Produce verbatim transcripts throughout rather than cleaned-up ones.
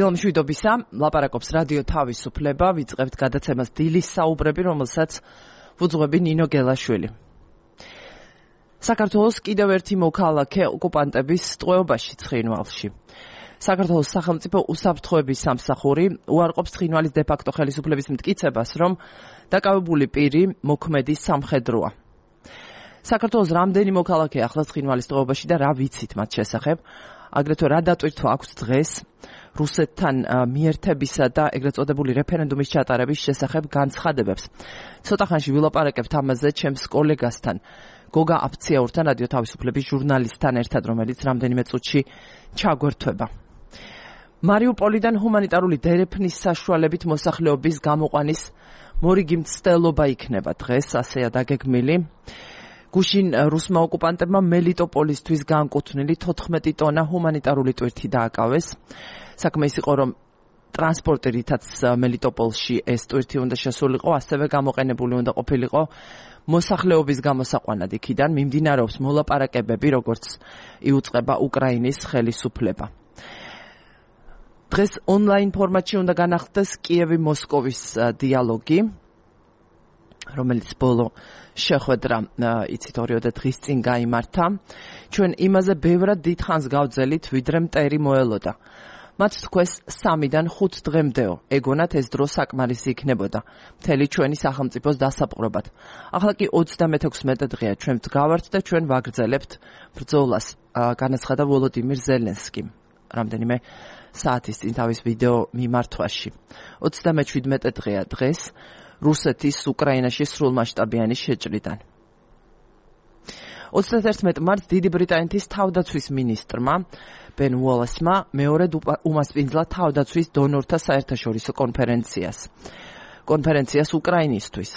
დილამშვიდობისა, ლაპარაკობს რადიო თავისუფლება, ვიწყებთ გადაცემას დილის საუბრები, რომელსაც ვუძღვები ნინო გელაშვილი. საქართველოს კიდევ ერთი მოქალაქე ოკუპანტების ტყვეობაში ცხინვალში. საქართველოს სახელმწიფო უსაფრთხოების სამსახური უარყოფს ცხინვალის დე-ფაქტო ხელისუფლების მტკიცებას, რომ დაკავებული პირი მოქმედი სამხედროა. საქართველოს რამდენი მოქალაქე ახლა ცხინვალის ტყვეობაში და რა ვიცით მათ შესახებ? აგრეთვე რა დატვირთვა აქვს დღეს რუსეთთან მიერთებისა და ეგრეთ წოდებული რეფერენდუმის ჩატარების შესახებ განცხადებებს. ცოტა ხანში ვილაპარაკებთ ამაზე ჩემს კოლეგასთან, გოგა აფციაურთან, რადიო თავისუფლების ჟურნალისტთან ერთად, რომელიც რამდენიმე წუთში ჩაგვერთვება. მარიუპოლიდან ჰუმანიტარული დერეფნის საშუალებით მოსახლეობის გამოყვანის მორიგი მცდელობა იქნება დღეს, ასეა დაგეგმილი. გუშინ რუსმა ოკუპანტებმა მელიტოპოლისთვის განკუთვნილი თოთხმეტი ტონა ჰუმანიტარული ტვირთი დააკავეს. საქმე ის იყო, რომ ტრანსპორტი, რითაც მელიტოპოლში ეს ტვირთი უნდა შესულიყო, ასევე გამოყენებული უნდა ყოფილიყო მოსახლეობის გამოსაყვანად იქიდან. მიმდინარეობს მოლაპარაკებები, როგორც იუწყება უკრაინის ხელისუფლება. დღეს ონლაინ ფორმატში უნდა განახლდეს კიევი-მოსკოვის დიალოგი, რომელიც ბოლო შეხვედრა იცით ორი-ოთხ დღის წინ გაიმართა. ჩვენ იმაზე ბევრად დიდხანს გავძელით, ვიდრე მტერი მოელოდა. მათ თქვეს სამიდან ხუთ დღემდეო. ეგონათ ეს დრო საკმარისი იქნებოდა მთელი ჩვენი სახელმწიფოს დასაპყრობად. ახლა კი ოცდამექვსმეტე დღეა ჩვენ ვდგავართ და ჩვენ ვაგრძელებთ ბრძოლას, განაცხადა ვოლოდიმირ ზელენსკიმ რამდენიმე საათის წინ თავის ვიდეო მიმართვაში. ოცდამეჩვიდმეტე დღეა დღეს რუსეთის უკრაინაში სრულმასშტაბიანი შეჭრიდან. ოცდაათერთმეტ მარტს დიდი ბრიტანეთის თავდაცვის მინისტრმა ბენ უოლესმა მეორედ უმასპინძლა თავდაცვის დონორთა საერთაშორისო კონფერენციას. კონფერენციას უკრაინისთვის.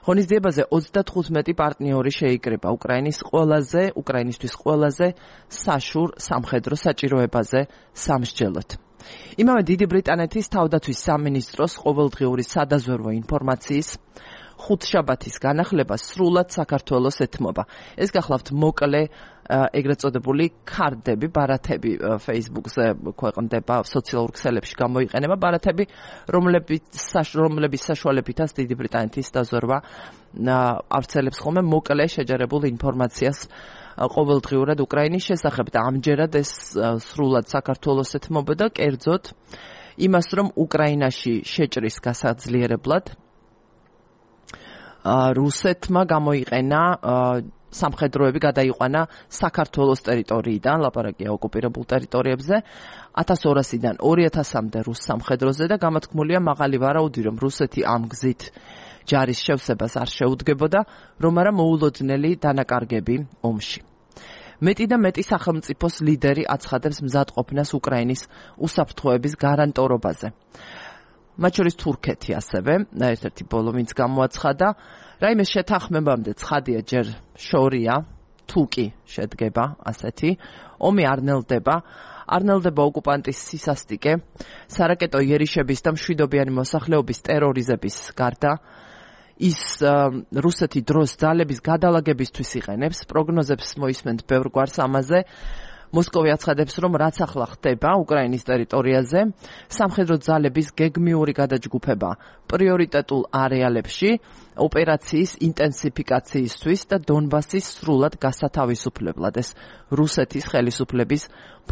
ღონისძიებაზე ოცდათხუთმეტი პარტნიორი შეიკრიბა უკრაინის ყველაზე, უკრაინისთვის ყველაზე საშურ სამხედრო საჭიროებაზე სამსჯელოდ. იმავე დიდი ბრიტანეთის თავდაცვის სამინისტროს ყოველდღიური სადაზვერვო ინფორმაციის ხუთშაბათის განახლება სრულად საქართველოს ეთმობა. ეს გახლავთ მოკლე ეგრეთ წოდებული ქარდები, ბარათები Facebook-ზე ქვეყნდება, სოციალურ ქსელებში გამოიყენება ბარათები, რომლებიც რომლების საშუალებითაც დიდი ბრიტანეთის დაზვერვა ავრცელებს ხოლმე მოკლე შეჯერებულ ინფორმაციას ყოველდღიურად უკრაინის შესახებ და ამჯერად ეს სრულად საქართველოს ეთმობოდა, კერძოდ იმას, რომ უკრაინაში შეჭრის გასაძლიერებლად რუსეთმა გამოიყენა სამხედროები გადაიყვანა საქართველოს ტერიტორიიდან, ლაპარაკია ოკუპირებულ ტერიტორიებზე, ათას ორასიდან ორი ათასამდე რუს სამხედროზე და გამოთქმულია მაღალი ვარაუდი, რომ რუსეთი ამ გზით ჯარის შევსებას არ შეუდგებოდა, რომ არა მოულოდნელი დანაკარგები ომში. მეტი და მეტი სახელმწიფოს ლიდერი აცხადებს მზადყოფნას უკრაინის უსაფრთხოების გარანტორობაზე. მათ შორის თურქეთი ასევე, ერთ-ერთი ბოლო ვინც გამოაცხადა, რაიმე შეთანხმებამდე ცხადია ჯერ შორია, თუ კი შედგება ასეთი, ომი არ ნელდება, არ ნელდება ოკუპანტის სისასტიკე, სარაკეტო იერიშების და მშვიდობიანი მოსახლეობის ტერორიზების გარდა, ის რუსეთი დროს ძალების გადალაგებისთვის იყენებს, პროგნოზებს მოისმენთ ბევრ გვარს ამაზე. მოსკოვი აცხადებს, რომ რაც ახლა ხდება უკრაინის ტერიტორიაზე, სამხედრო ძალების გეგმიური გადაჯგუფება პრიორიტეტულ არეალებში, ოპერაციის ინტენსიფიკაციისთვის და დონბასის სრულად გასათავისუფლებლად. ეს რუსეთის ხელისუფლების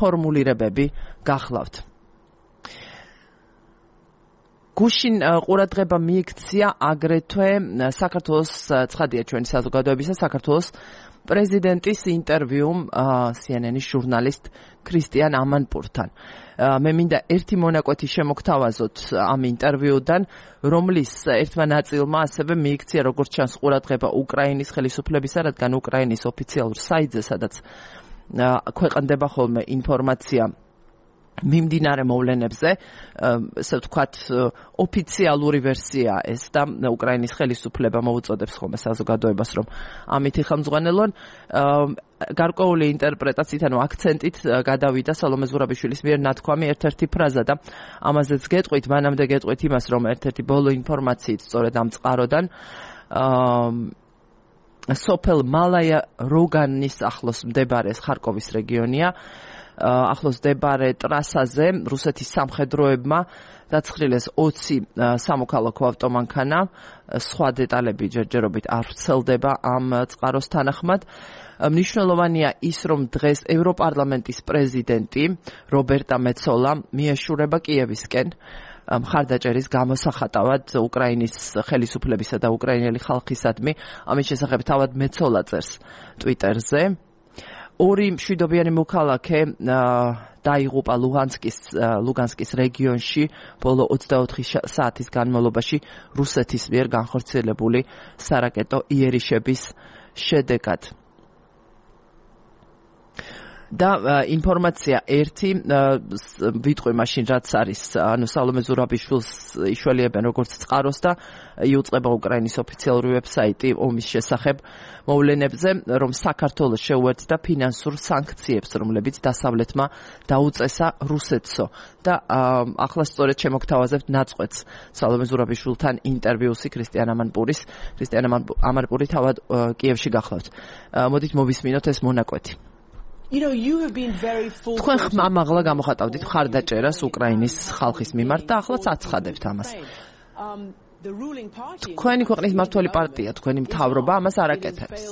ფორმულირებები გახლავთ. გუშინ ყურადღება მიიქცია აგრეთვე საქართველოს, ცხადია ჩვენი საზოგადოებისა, საქართველოს პრეზიდენტის ინტერვიუმ სი ენ ენის ჟურნალისტ ქრისტიან ამანპურთან. მე მინდა ერთი მონაკვეთი შემოგთავაზოთ ამ ინტერვიუდან, რომლის ერთმა ნაწილმა ასევე მიიქცია როგორც ჩანს ყურადღება უკრაინის ხელისუფლებისა, რადგან უკრაინის ოფიციალურ საიტზე, სადაც ქვეყნდება ხოლმე ინფორმაცია მიმდინარე მოვლენებზე, ესე ვთქვათ, ოფიციალური ვერსია ეს და უკრაინის ხელისუფლება მოუწოდებს ხოლმე საზოგადოებას, რომ ამით იხელმძღვანელონ. გარკვეული ინტერპრეტაციით, ანუ აქცენტით გადავიდა სალომე ზურაბიშვილის მიერ ნათქვამი ერთ-ერთი ფრაზა და ამაზეც გეტყვით, მანამდე გეტყვით იმას, რომ ერთ-ერთი ბოლო ინფორმაციით სწორედ ამ წყაროდან სოფელ მალაია როგანის ახლოს მდებარე ხარკოვის რეგიონია, ახლოს მდებარე ტრასაზე რუსეთის სამხედროებმა დაცხრილეს ოცი სამოქალაქო ავტომანქანა, სხვა დეტალები ჯერჯერობით არ ვრცელდება ამ წყაროს თანახმად. მნიშვნელოვანია ის, რომ დღეს ევროპარლამენტის პრეზიდენტი რობერტა მეცოლა მიეშურება კიევისკენ მხარდაჭერის გამოსახატავად უკრაინის ხელისუფლებისა და უკრაინელი ხალხისადმი. ამის შესახებ თავად მეცოლა წერს ტვიტერზე. ორი მშვიდობიანი მოქალაქე დაიღუპა ლუგანსკის ლუგანსკის რეგიონში ბოლო ოცდაოთხი საათის განმავლობაში რუსეთის მიერ განხორციელებული სარაკეტო იერიშების შედეგად. და ინფორმაცია ერთი ვიტყვი მაშინ რაც არის ანუ სალომე ზურაბიშვილს იშველიებენ როგორც წყაროს და იუწყება უკრაინის ოფიციალური ვებსაიტი ომის შესახებ მოვლენებზე რომ საქართველოს შეუერთდა ფინანსურ სანქციებს რომლებიც დასავლეთმა დაუწესა რუსეთსო და ახლა სწორედ შემოგთავაზებთ ნაწყვეტს სალომე ზურაბიშვილთან ინტერვიუსი ქრისტიან ამანპურის ქრისტიან ამანპური თავად კიევში გახლავთ. მოდით მოვისმინოთ ეს მონაკვეთი. You know, you have been very full. თქვენ ხმამაღლა გამოხატავდით მხარდაჭერას უკრაინის ხალხის მიმართ და ახლაც აცხადებთ ამას. თქვენი ქვეყნის მმართველი პარტია, თქვენი მთავრობა ამას არ აკეთებს.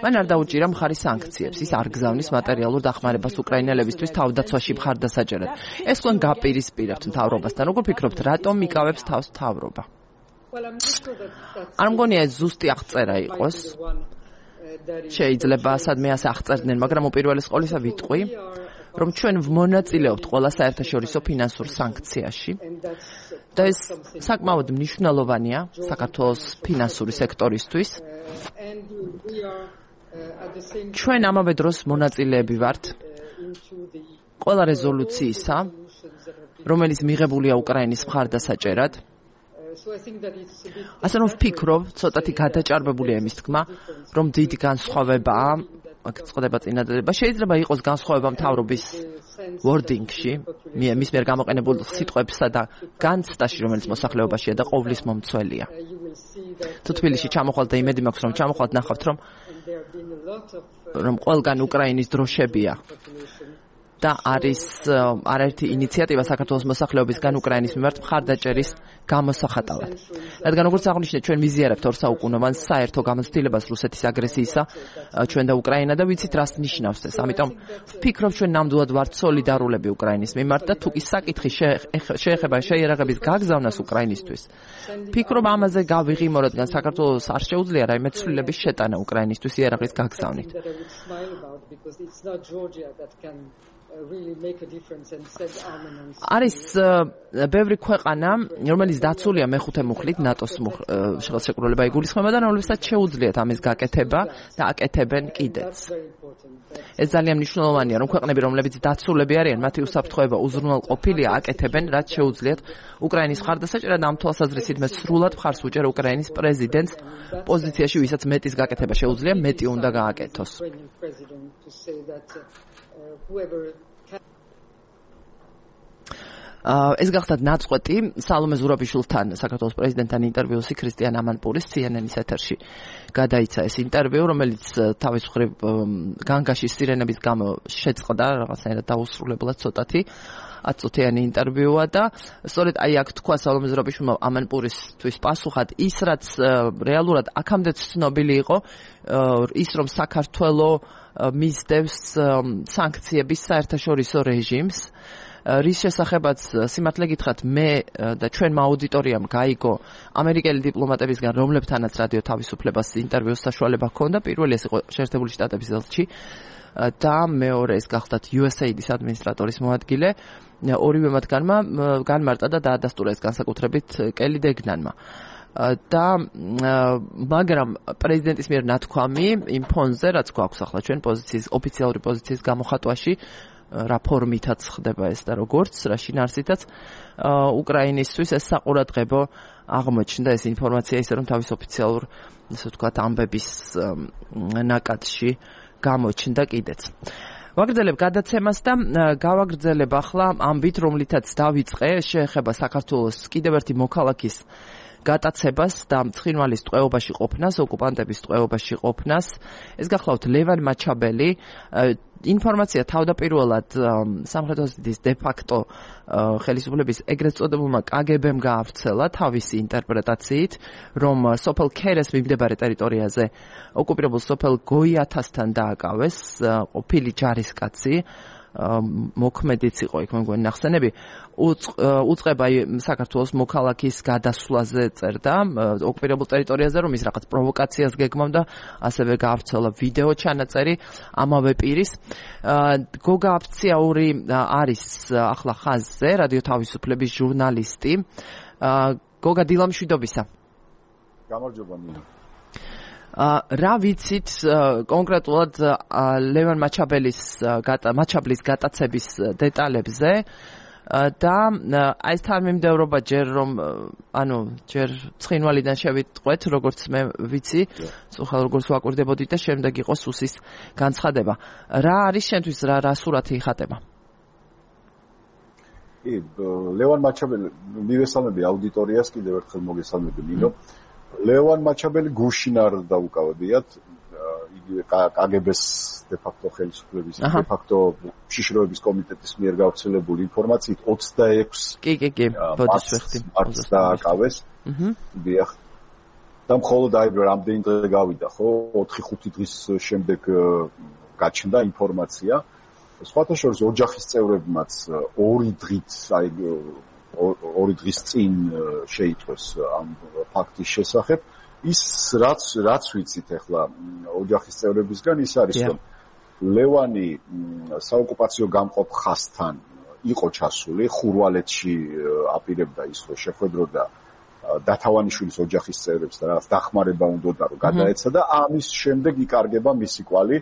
მან არ დაუჭირა მხარი სანქციებს, ის არ გზავნის მატერიალურ დახმარებას უკრაინელებისთვის თავდაცვაში მხარდასაჭერად. ეს თქვენ გაპირისპირებთ მთავრობასთან. როგორ ფიქრობთ, რატომ იკავებს თავს მთავრობა? არ მგონია ეს ზუსტი აღწერა იყოს. შეიძლება სადმე ასე აღწერდნენ, მაგრამ უპირველეს ყოვლისა ვიტყვი, რომ ჩვენ ვმონაწილეობთ ყველა საერთაშორისო ფინანსურ სანქციაში და ეს საკმაოდ მნიშვნელოვანია საქართველოს ფინანსური სექტორისთვის. ჩვენ ამავე დროს მონაწილეები ვართ ყველა რეზოლუციისა, რომელიც მიღებულია უკრაინის მხარდასაჭერად. ასე რომ ვფიქრობ, ცოტათი გადაჭარბებულია იმის თქმა, რომ დიდი განსხვავებაა, აქ წყვეტება წინადადება, შეიძლება იყოს განსხვავება მთავრობის wording-ში, მის მიერ გამოყენებულ სიტყვებსა და განცდაში, რომელიც მოსახლეობაშია და ყოვლის მომცველია. თუ თბილისში ჩამოხვალთ და იმედი მაქვს, რომ ჩამოხვალთ, ნახავთ, რომ რომ ყველგან უკრაინის დროშებია. და არის არაერთი ინიციატივა საქართველოს მოსახლეობისგან უკრაინის მიმართ მხარდაჭერის გამოსახატავად. რადგან როგორც აღნიშნეთ, ჩვენ მიზიარებთ ორ საუკუნოვან საერთო გამოცდილებას რუსეთის აგრესიისა ჩვენ და უკრაინა და ვიცით რას ნიშნავს ეს. ამიტომ ვფიქრობ, ჩვენ ნამდვილად ვართ სოლიდარულები უკრაინის მიმართ და თუ კი საკითხი შეეხება შეიარაღების გაგზავნას უკრაინისთვის. ვფიქრობ, ამაზე გავიღიმო, რადგან საქართველოს არ შეუძლია რაიმე ცვლილების შეტანა უკრაინისთვის იარაღის გაგზავნით. არის ბევრი ქვეყანა, რომელიც დაცულია მეხუთე მუხლით ნატოს ხელშეკრულება იგულისხმება და რომლებსაც შეუძლიათ ამის გაკეთება და აკეთებენ კიდეც. ეს ძალიან მნიშვნელოვანია, რომ ქვეყნები, რომლებიც დაცულები არიან, მათი უსაფრთხოება უზრუნველყოფილია, აკეთებენ, რაც შეუძლიათ უკრაინის მხარდასაჭერად. ამ თვალსაზრისით მე სრულად მხარს ვუჭერ უკრაინის პრეზიდენტს პოზიციაში, ვისაც მეტის გაკეთება შეუძლია, მეტი უნდა გააკეთოს. ეს გახდათ ნაწყვეტი სალომე ზურაბიშვილთან საქართველოს პრეზიდენტთან ინტერვიუსი ქრისტიან ამანპურის C N N-ის ეთერში გადაიცა ეს ინტერვიუ, რომელიც თავის მხრივ განგაშის სირენების გამო შეწყდა რაღაცნაირად დაუსრულებლად ცოტათი ათწუთიანი ინტერვიუა და სწორედ აი აქ თქვა სალომე ზურაბიშვილმა ამანპურისთვის პასუხად ის, რაც რეალურად აქამდეც ცნობილი იყო, ის რომ საქართველოს მისდევს სანქციების საერთაშორისო რეჟიმს, რის შესახებაც სიმართლე გითხრათ, მე და ჩვენმა აუდიტორიამ გაიგო ამერიკელი დიპლომატებისგან, რომლებთანაც რადიო თავისუფლებას ინტერვიუს საშუალება ჰქონდა. პირველი ეს იყო შეერთებული შტატების ელჩი და მეორე ეს გახდათ U S A I D-ის ადმინისტრატორის მოადგილე. ორივე მათგანმა განმარტა და დაადასტურა ეს განსაკუთრებით კელი დეგნანმა. და მაგრამ პრეზიდენტის მიერ ნათქვამი იმ ფონზე, რაც გვაქვს ახლა ჩვენ პოზიციის ოფიციალური პოზიციის გამოხატვაში, რა ფორმითაც ხდება ეს და როგორც, რა შინაარსითაც უკრაინისთვის ეს საყურადღებო აღმოჩნდა ეს ინფორმაცია, ისე რომ თავის ოფიციალურ, ასე ვთქვათ, ამბების ნაკადში გამოჩნდა კიდეც. ვაგრძელებ გადაცემას და გავაგრძელებ ახლა ამბით, რომლითაც დავიწყე, შეეხება საქართველოს კიდევ ერთი მოქალაქის გატაცებას და ცხინვალის ტყვეობაში ყოფნას, ოკუპანტების ტყვეობაში ყოფნას. ეს გახლავთ ლევან მაჩაბელი. ინფორმაცია თავდაპირველად სამხედრო ოზის დე-ფაქტო ხელისუფლების ეგრეთ წოდებულმა კაგებემ გაავრცელა თავისი ინტერპრეტაციით, რომ სოფელ ქერეს მიმდებარე ტერიტორიაზე ოკუპირებულ სოფელ გოიათასთან დააკავეს ყოფილი ჯარისკაცი, მოქმედიც იყო იქ მეგონი ნახსენები, უწყება საქართველოს მოქალაქის გადასვლაზე წერდა ოკუპირებულ ტერიტორიაზე, რომ ის რაღაც პროვოკაციას გეგმავდა, ასევე გაავრცელა ვიდეო ჩანაწერი ამავე პირის. გოგა აფციაური არის ახლა ხაზზე, რადიო თავისუფლების ჟურნალისტი. გოგა, დილა მშვიდობისა. გამარჯობა მინა. რა ვიცით კონკრეტულად ლევან მაჩაბელის მაჩაბლის გატაცების დეტალებზე და აი ეს თანმიმდევრობა ჯერ რომ ანუ ჯერ ცხინვალიდან შევიტყვეთ, როგორც მე ვიცი, სწორხალ როგორც ვაკვირდებოდით და შემდეგ იყო სუსის განცხადება. რა არის შენთვის რა რა სურათი იხატება? კი, ლევან მაჩაბელი მივესალმები აუდიტორიას, კიდევ ერთხელ მოგესალმები ნინო. ლევან მაჩაბელი გუშინ არ დაუკავებიათ, იგი კაგებეს დე-ფაქტო ხელისუფლების დე-ფაქტო შიშროების კომიტეტის მიერ გავრცელებული ინფორმაციით ოცდაექვსი კი კი კი ბოდიშ ვეხტი დააკავეს. აჰა. დიახ. და მხოლოდ აი რამდენი დღე გავიდა, ხო? ოთხი ხუთი დღის შემდეგ გაჩნდა ინფორმაცია. სხვათა შორის ოჯახის წევრებმაც ორი დღით, აი ორი დღის წინ შეიტყვეს ამ ფაქტის შესახებ. ის რაც რაც ვიცით ახლა ოჯახის წევრებისგან ის არის რომ ლევანი საოკუპაციო გამყოფ ხაზთან იყო ჩასული, ხურვალეთში აპირებდა ის რომ შეხვედროდა დათავანიშვილის ოჯახის წევრებს და რაღაც დახმარება უნდოდა რომ გადაეცა და ამის შემდეგ იკარგება მისი კვალი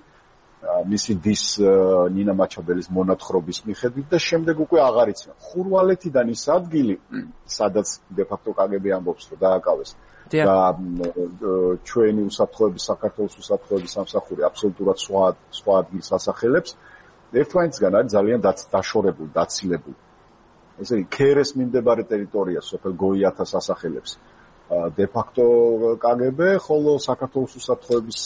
მისი დის ნინა მაჩაბელის მონათხრობის მიხედვით და შემდეგ უკვე აღარ იციან. ხურვალეთიდან ის ადგილი, სადაც დე-ფაქტო კაგები ამბობს, რომ დააკავეს და ჩვენი უსაფრთხოების, საქართველოს უსაფრთხოების სამსახური აბსოლუტურად სხვა სხვა ადგილს ასახელებს, ერთმანეთისგან არის ძალიან დაშორებული, დაცილებული. ესე იგი, ქერეს მიმდებარე ტერიტორია სოფელ გოიათას ასახელებს დე-ფაქტო კაგები, ხოლო საქართველოს უსაფრთხოების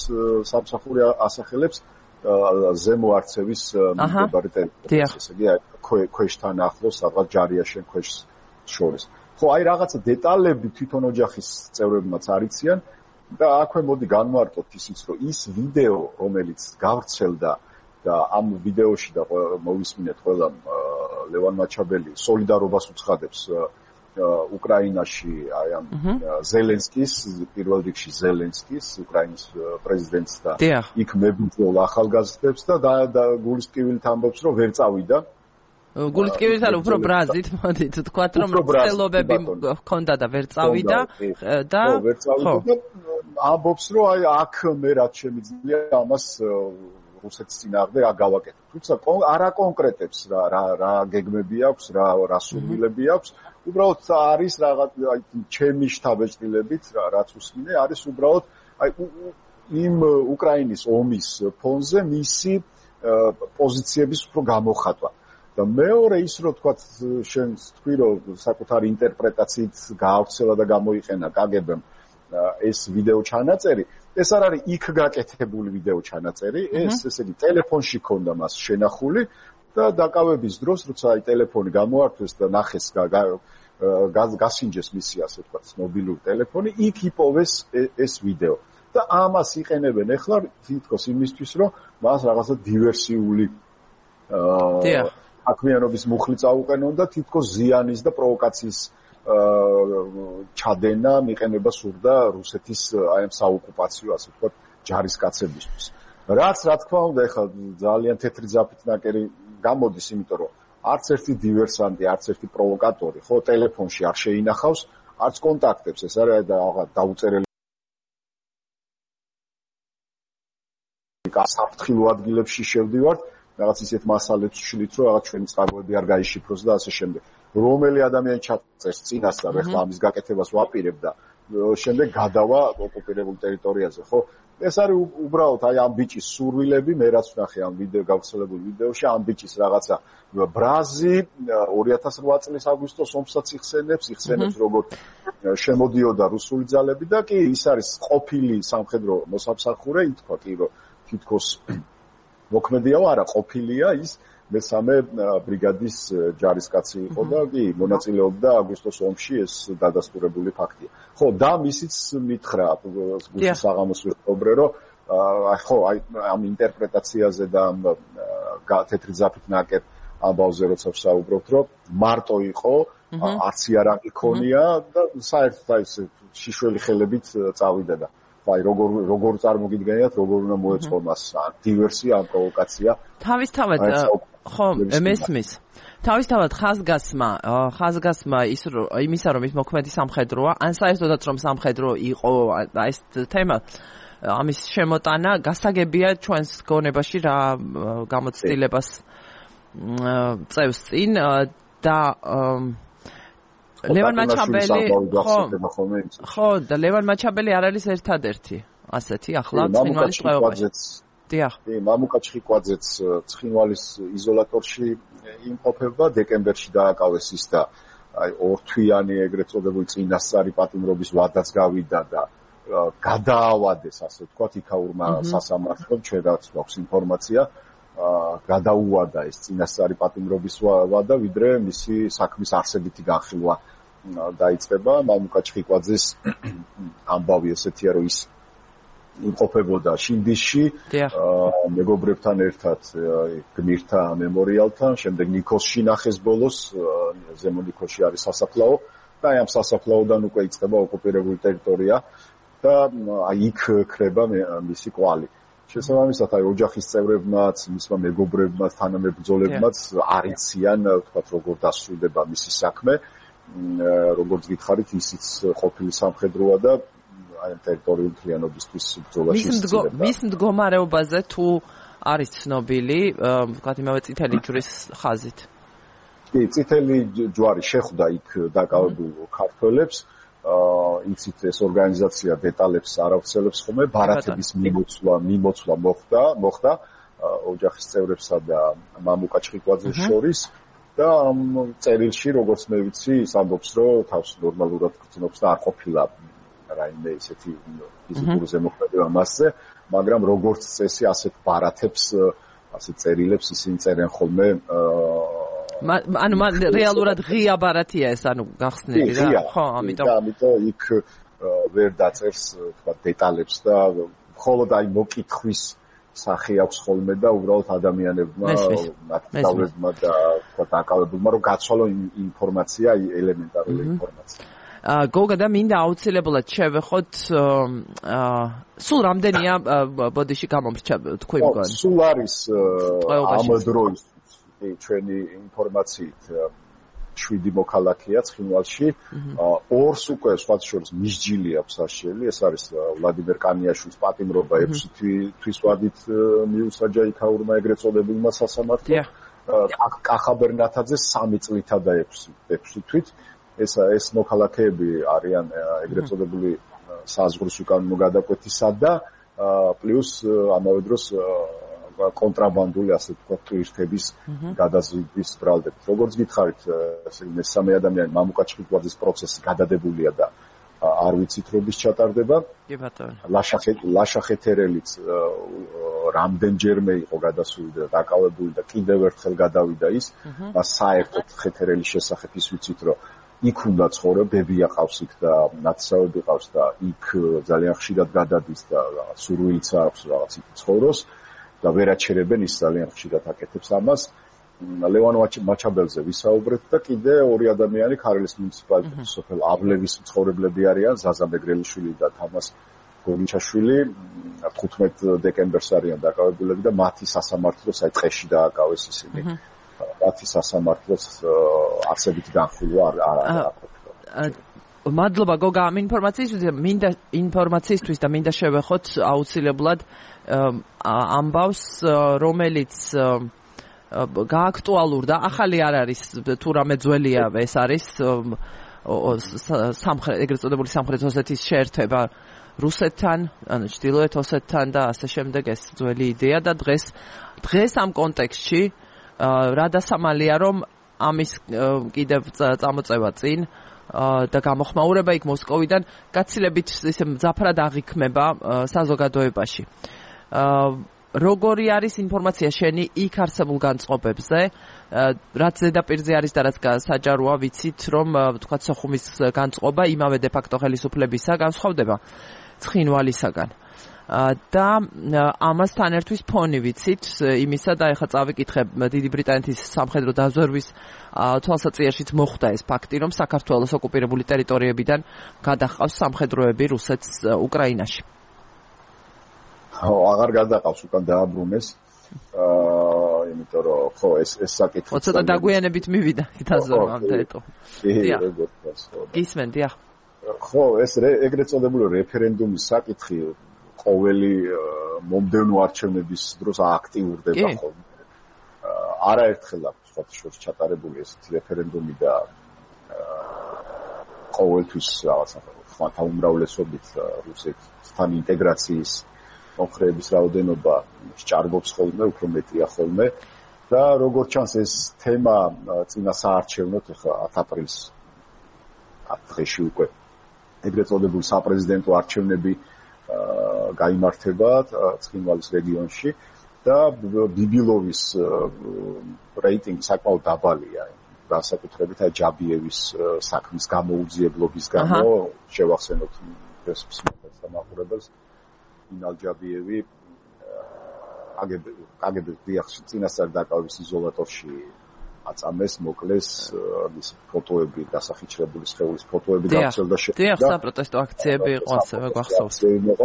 სამსახური ასახელებს ზემო არცევის მიმდებარე ტერიტორიას, ესე იგი, ქვეშთან ახლოს, სადღაც ჯარიაშენ ქვეშ შორის. ხო, აი რაღაცა დეტალები თვითონ ოჯახის წევრებმაც არიციან და აქვე მოდი განვარტყოთ ისიც, რომ ის ვიდეო, რომელიც გავრცელდა და ამ ვიდეოში და მოვისმინეთ ყველა ლევან მაჩაბელი სოლიდარობას უცხადებს უკრაინაში, აი ამ ზელენსკის, პირველ რიგში ზელენსკის, უკრაინის პრეზიდენტს და იქ მებრძოლ ახალგაზრდებს და გულის ტკივილით ამბობს, რომ ვერ წავიდა. გულის ტკივილით არა, უფრო ბრაზით, მოდით თქვათ, რომ ცდილობები ჰქონდა და ვერ წავიდა და ვერ წავიდა და ამბობს, რომ აი აქ მე რაც შემიძლია ამას რუსეთის წინააღმდეგ აგავაკეთებ. თუმცა არა კონკრეტებს რა რა რა გეგმები აქვს, რა რა სურვილები აქვს. უბრალოდ არის რაღაც აი ჩემი შთაბეჭდილებით რაც უსმინე არის უბრალოდ აი იმ უკრაინის ომის ფონზე მისი პოზიციების უფრო გამოხატვა. და მეორე ის რომ თქვა შენ თქვი რომ საკუთარი ინტერპრეტაციით გაავრცელა და გამოიყენა კაგებემ ეს ვიდეო ჩანაწერი, ეს არ არის იქ გაკეთებული ვიდეო ჩანაწერი, ეს ესე იგი ტელეფონში ქონდა მას შენახული და დაკავების დროს როცა აი ტელეფონი გამოართვეს და ნახეს გასინჯეს მისი ასე თქვა მობილური ტელეფონი, იქ იპოვეს ეს ვიდეო. და ამას იყენებენ ახლა თითქოს იმისთვის რომ მას რაღაცა დივერსიული აა აკვიანობის მუხლი წაუყენონ და თითქოს ზიანის და პროვოკაციის ჩადენა მიყენება სურდა რუსეთის აი ამ საოკუპაციო ასე ვთქვათ ჯარისკაცებისთვის. რაც რა თქმა უნდა ახლა ძალიან თეთრი ძაფით ნაკერი გამოდის, იმიტომ რომ არც ერთი დივერსანტი, არც ერთი პროვოკატორი ხო ტელეფონში არ შეინახავს, არც კონტაქტებს, ეს არის დაუწერელი საფრთხილო ადგილებში შევდივართ, რაღაც ისეთ მასალებს შლით, რომ რაღაც ჩვენი წყაროები არ გაიშიფროს და ასე შემდეგ. რომელი ადამიანი ჩაწერს წინასწარ, ახლა ამის გაკეთებას ვაპირებ და შემდეგ გადავა ოკუპირებულ ტერიტორიაზე, ხო? ეს არის უბრალოდ აი ამ ბიჭის სურვილები, მე რაც ვნახე ამ ვიდეო გავრცელებული ვიდეოში, ამ ბიჭის რაღაცა ბრაზი ორი ათას რვა წლის აგვისტოს ომსაც იხსენებს, იხსენებს როგორც შემოდიოდა რუსული ძალები და კი ის არის ყოფილი სამხედრო მოსამსახურე, ითქვა კი რომ თითქოს მოქმედია არა ყოფილია ის მესამე ბრიგადის ჯარისკაცი იყო და კი მონაწილეობდა აგვისტოს ომში, ეს დადასტურებული ფაქტია. ხო, და მისიც მითხრა გუშინ საღამოს ვიყობრე, რომ აი ხო, აი ამ ინტერპრეტაციაზე და ამ თეთრი ძაფით ნაკეთ ამბავზე როცა ვსაუბრობთ, რომ მარტო იყო, არც იარაღი ქონია და საერთოდ აი შიშველი ხელებით წავიდა და აი როგორ როგორ წარმოგიდგენიათ, როგორ უნდა მოეწყო მას დივერსია, ან პროვოკაცია. თავისთავად ხო, მესმის. თავისთავად ხაზგასმა, ხაზგასმა ის იმისა რომ ის მოქმედი სამხედროა, ან საერთოდაც რომ სამხედრო იყო ეს თემა ამის შემოტანა გასაგებია ჩვენს გონებაში რა გამოცდილებას წევს წინ და ლევან მაჩაბელი ხო და ლევან მაჩაბელი არ არის ერთადერთი ასეთი ახლა ცხინვალის ტყვეობაში. დიახ. კი, მამუკა ჩხიკვაძეც ცხინვალის იზოლატორში იმყოფება, დეკემბერში დააკავეს ის და აი ორთვიანი ეგრეთ წოდებული წინასწარი პატიმრობის ვადაც გავიდა და გადაავადეს, ასე ვთქვათ, იქაურმა სასამართლომ, ჩვენ რაც გვაქვს ინფორმაცია, გადაუვადა ეს წინასწარი პატიმრობის ვადა, ვიდრე მისი საქმის არსებითი განხილვა დაიწყება. მამუკა ჩხიკვაძეს ამბავი ესეთია, რომ ის იმყოფებოდა შინდისში, მეგობრებთან ერთად გმირთა მემორიალთან, შემდეგ ნიქოლსში ნახეს ბოლოს, ზემო ნიქოლსში არის სასაფლაო და აი ამ სასაფლაოდან უკვე იწყება ოკუპირებული ტერიტორია და აი იქ ქრება მისი კვალი. შესაბამისად, აი ოჯახის წევრებმაც, მისმა მეგობრებმაც, თანამებრძოლებმაც არ იციან, ვთქვათ, როგორ დასრულდება მისი საქმე, როგორც გითხარით, ისიც ყოფილი სამხედროა და აი ტერიტორიული მთლიანობისთვის ბრძოლაში ისწრება. მის მდგომარეობაზე თუ არის ცნობილი, ვთქვათ, იმავე წითელი ჯვრის ხაზით. კი, წითელი ჯვარი შეხვდა იქ დაკავებულ ქართველებს. იცით ეს ორგანიზაცია დეტალებს არ ავრცელებს ხოლმე, ბარათების მიმოცვლა, მიმოცვლა მოხდა, მოხდა ოჯახის წევრებსა და მამუკა ჩხიკვაძეს შორის და ამ წერილში, როგორც მე ვიცი, ის ამბობს, რომ თავს ნორმალურად გრძნობს და არ ყოფილა რაიმე ისეთი ფიზიკური ზემოქმედება მასზე, მაგრამ როგორც წესი ასეთ ბარათებს, ასეთ წერილებს ისინი წერენ ხოლმე ანუ რეალურად ღია ბარათია ეს, ანუ გახსნილი რა, ხო, ამიტომ ამიტომ იქ ვერ დაწერს, თქვა, დეტალებს და მხოლოდ აი მოკითხვის სახე აქვს ხოლმე და უბრალოდ ადამიანებმა, ნაკრძალებმა და თქვა, დაკავებულმა რომ გაცვალონ ინფორმაცია, ელემენტარული ინფორმაცია. გოგა და მინდა აუცილებლად შევეხოთ სულ რამდენია ბოდიში გამომრჩა თქვი მგონი? სულ არის ამ დროის ჩვენი ინფორმაციით შვიდი მოქალაქეა ცხინვალში, ორს უკვე სხვა შორის მისჯილი აქვს საშიელი, ეს არის ვლადიმერ კანიაშვილის პატიმრობა ექვსი თვის ვადით მიუსაჯა იქაურმა ეგრეთ წოდებულმა სასამართლომ, კახაბერ ნათაძეს სამი წლითა და ექვსი თვით. ეს ეს მოქალაქეები არიან ეგრეთ წოდებული საზღვრის უკანონო გადაკვეთისა და პლუს ამავე დროს კონტრაბანდული, ასე ვთქვათ, ტურისტების გადაზიდვის ბრალდებით. როგორც გითხარით, მესამე ადამიანი მამუკა ჩხიკვაძის პროცესი გადადებულია და არ ვიცით როდის ჩატარდება. კი ბატონო. ლაშახე ლაშახეთერელიც რამდენჯერმე იყო გადასული და დაკავებული და კიდევ ერთხელ გადავიდა ის. მას საერთოდ ხეთერელის შესახებ ის ვიცით, რომ იქ უნდა ცხოვრობ, ბებია ყავს იქ და ნაცსავები ყავს და იქ ძალიან ხშირად გადადის და სურვილიც აქვს რაღაც იქ ცხოვროს და ვერაჩერებენ, ის ძალიან ხშირად აკეთებს ამას. ლევან მაჩაბელზე ვისაუბრეთ და კიდე ორი ადამიანი ქარელის მუნიციპალიტეტის სოფელ ავლევის მცხოვრებლები არიან, ზაზა მეგრელიშვილი და თამას გოლიჩაშვილი. თხუთმეტ დეკემბერს არიან დაკავებულები და მათი სასამართლოს აი ტყეში დააკავეს ისინი. მათი სასამართლოს არსებითი განხილვა არ არ მადლობა გოგა ამ ინფორმაციისთვის, მინდა ინფორმაციისთვის და მინდა შევეხოთ აუცილებლად ამბავს, რომელიც გააქტუალურდა, ახალი არ არის, თუ რამე ძველია ეს არის, სამხრეთ ეგრეთ წოდებული სამხრეთ ოსეთის შეერთება რუსეთთან, ანუ ჩრდილოეთ ოსეთთან და ასე შემდეგ ეს ძველი იდეა და დღეს დღეს ამ კონტექსტში რა დასამალია რომ ამის კიდევ წამოწევა წინ და გამოხმაურება იქ მოსკოვიდან გაცილებით ისე მძაფრად აღიქმება საზოგადოებაში. როგორი არის ინფორმაცია შენი იქ არსებულ განწყობებზე, რაც ზედაპირზე არის და რაც საჯაროა, ვიცით რომ თქვა სოხუმის განწყობა იმავე დე ფაქტო ხელისუფლებისა განსხვავდება ცხინვალისაგან. და ამასთან ერთვის ფონი ვიცით იმისა და ეხლა წავიკითხე დიდი ბრიტანეთის სამხედრო დაზვერვის თვალსაჩინოშიც მოხდა ეს ფაქტი რომ საქართველოს ოკუპირებული ტერიტორიებიდან გადაჰყავს სამხედროები რუსეთს უკრაინაში. აღარ გადაყავს უკან დააბრუნეს. აა იმიტომ რომ ხო ეს ეს საკითხი ცოტა დაგვიანებით მივიდა დაზვერვამდე ეტო. დიახ. გისმენ დიახ. ხო ეს ეგრეთ წოდებული რეფერენდუმის საკითხი ყოველი მომდევნო არჩევნების დროს აქტიურდება ხოლმე. არაერთხელ აქვს სხვა შორის ჩატარებული ესეთი რეფერენდუმი და ყოველთვის რაღაცა ხმათა უმრავლესობით რუსეთთან ინტეგრაციის მომხრეების რაოდენობა სჭარბობს ხოლმე, უფრო მეტია ხოლმე და როგორც ჩანს ეს თემა წინა საარჩევნოთ ახლა ათი აპრილს დღეში უკვე ეგრეთ წოდებული საპრეზიდენტო არჩევნები გაიმართება ცხინვალის რეგიონში და ბიბილოვის რეიტინგი საკმაოდ დაბალია. განსაკუთრებით ჯაბიევის საქმის გამოუძიებლობის გამო შევახსენოთ ეს სამაყურებელს ინალ ჯაბიევი კაგების დიახში წინასწარ დაკავების იზოლატორში აწამეს, მოკლეს, მის ფოტოები დასახიჩრებული სხეულის ფოტოები გავრცელდა შედა. დიახ, საპროტესტო აქციები იყო ასევე გახსოვს.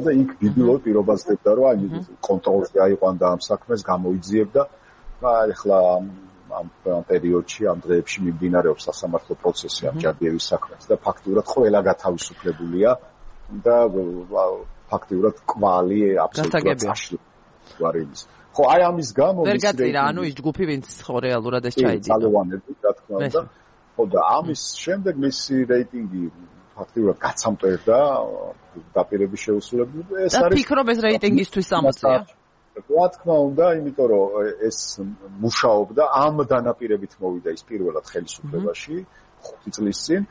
და იქ ბიბილოვი პირობას დებდა რომ აი კონტროლზე აიყვანდა ამ საქმეს, გამოიძიებდა და ეხლა ამ პერიოდში ამ დღეებში მიმდინარეობს სასამართლო პროცესი ამ ჯაბიევის საქმეს და ფაქტურად ყველა გათავისუფლებულია და ფაქტურად კვალი აბსოლუტურად წაშლილი. ხო, აი ამის გამო ვერ გაწირა, ანუ ის ჯგუფი ვინც ხო რეალურად ეს ჩაიძინა. ძალოვანები, რა თქმა უნდა. ხო და ამის შემდეგ მისი რეიტინგი ფაქტურად გაცამტვერდა დაპირების შეუსრულებლად. ეს არის და ფიქრობ ეს რეიტინგისთვის ამოწია. რა თქმა უნდა, იმიტომ რომ ეს მუშაობდა ამ დანაპირებით მოვიდა ის პირველად ხელისუფლებაში ხუთი წლის წინ.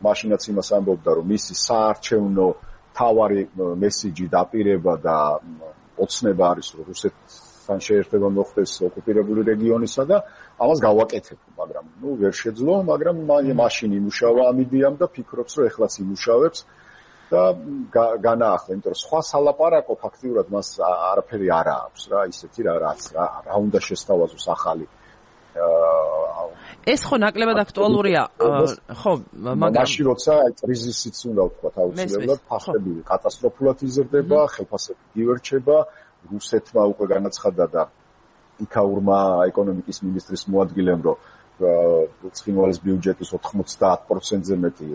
მაშინაც იმას ამბობდა რომ მისი საარჩევნო თავარი მესიჯი დაპირება და ოცნება არის რომ რუსეთს თან შეერთება მოხდეს ოკუპირებული რეგიონისა და ამას გავაკეთებ, მაგრამ ნუ ვერ შეძლო, მაგრამ მაშინ იმუშავა ამ იდეამ და ფიქრობს რომ ეხლაც იმუშავებს და განაახლა, იმიტომ რომ სხვა სალაპარაკო ფაქტიურად მას არაფერი არ აქვს რა, ისეთი რა რაც რა, რა უნდა შესთავაზოს ახალი ეს ხო ნაკლებად აქტუალურია, ხო, მაგრამ მაშინ როცა კრიზისიც უნდა ვთქვა აუცილებლად, ფასები კატასტროფულად იზრდება, ხელფასები გივერჩება, რუსეთმა უკვე განაცხადა და იქაურმა ეკონომიკის მინისტრის მოადგილემ, რომ ცხინვალის ბიუჯეტის ოთხმოცდაათ პროცენტზე მეტი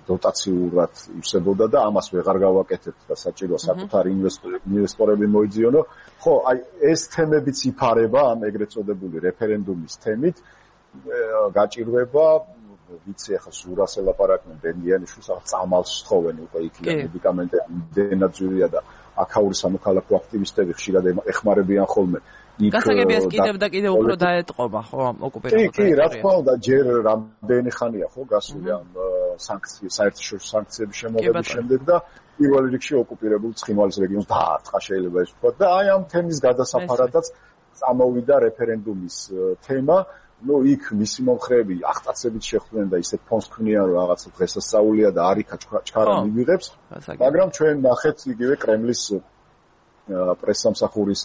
დოტაციურად ივსებოდა და ამას ვეღარ გავაკეთებთ და საჭიროა საკუთარი ინვესტორები მოიძიონო. ხო, აი ეს თემებიც იფარება ამ ეგრეთ წოდებული რეფერენდუმის თემით. გაჭირვება, ვიცი ახლა სურას ელაპარაკნენ ბენგიანიშვილს, ახლა წამალს თხოვენ უკვე იქ მედიკამენტები დენაძვირია და აქაური სამოქალაქო აქტივისტები ხშირად ეხმარებიან ხოლმე. გასაგებია ეს კიდევ და კიდევ უფრო დაეტყობა, ხო, ამ ოკუპირებულ ტერიტორიებში. კი, კი, რა თქმა უნდა, ჯერ რამდენი ხანია ხო გასული ამ სანქციების, საერთაშორისო სანქციების შემოღების შემდეგ და პირველ რიგში ოკუპირებულ ცხინვალის რეგიონს დაარტყა შეიძლება ის ვთქვა და აი ამ თემის გადასაფარადაც წამოვიდა რეფერენდუმის თემა. ნუ იქ მისი მომხრეები აღტაცებით შეხვდნენ და ისეთ ფონს ქმნიან რომ რაღაცა დღესასწაულია და არიქა ჩქარა მივიღებს, მაგრამ ჩვენ ნახეთ იგივე კრემლის პრესსამსახურის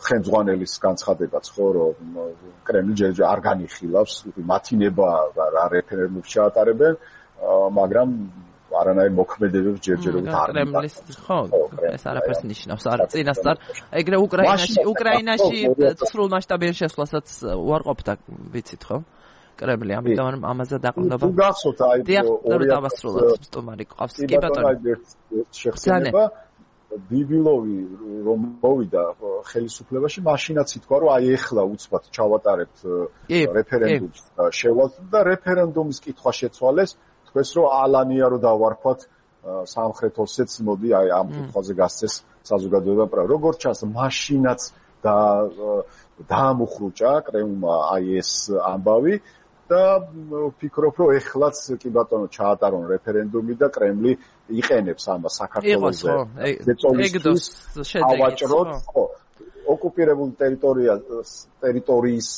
ხელმძღვანელის განცხადებაც ხო რომ კრემლი ჯერჯერ არ განიხილავს მათი ნება რა რეფერენდუმს ჩაატარებენ, მაგრამ არანაირ მოქმედებებს ჯერჯერობით არ კრემლის ხო ეს არაფერს ნიშნავს არ წინასწარ ეგრე უკრაინაში უკრაინაში სრულ მასშტაბიან შესვლასაც უარყოფდა ვიცით ხო კრემლი ამიტომ ამაზე დაყრდნობა თუ გახსოვთ აი ორი დავასრულოთ სტუმარი ყავს კი ბატონო შეხსენება ბიბილოვი რომ მოვიდა ხელისუფლებაში, მაშინაც ითქვა, რომ აი ეხლა უცბად ჩავატარებთ რეფერენდუმს და შევალთ და რეფერენდუმის კითხვა შეცვალეს, თქვეს რომ ალანია რომ დავარქვათ სამხრეთ ოსეთს, მოდი აი ამ კითხვაზე გასცეს საზოგადოება პრა. როგორც ჩანს, მაშინაც და დაამუხრუჭა კრემლმა აი ეს ამბავი და ვფიქრობ, რომ ეხლაც კი ბატონო ჩაატარონ რეფერენდუმი და კრემლი იყენებს ამას საქართველოზე. ეგდოს შედეგით, ხო. ოკუპირებული ტერიტორია ტერიტორიის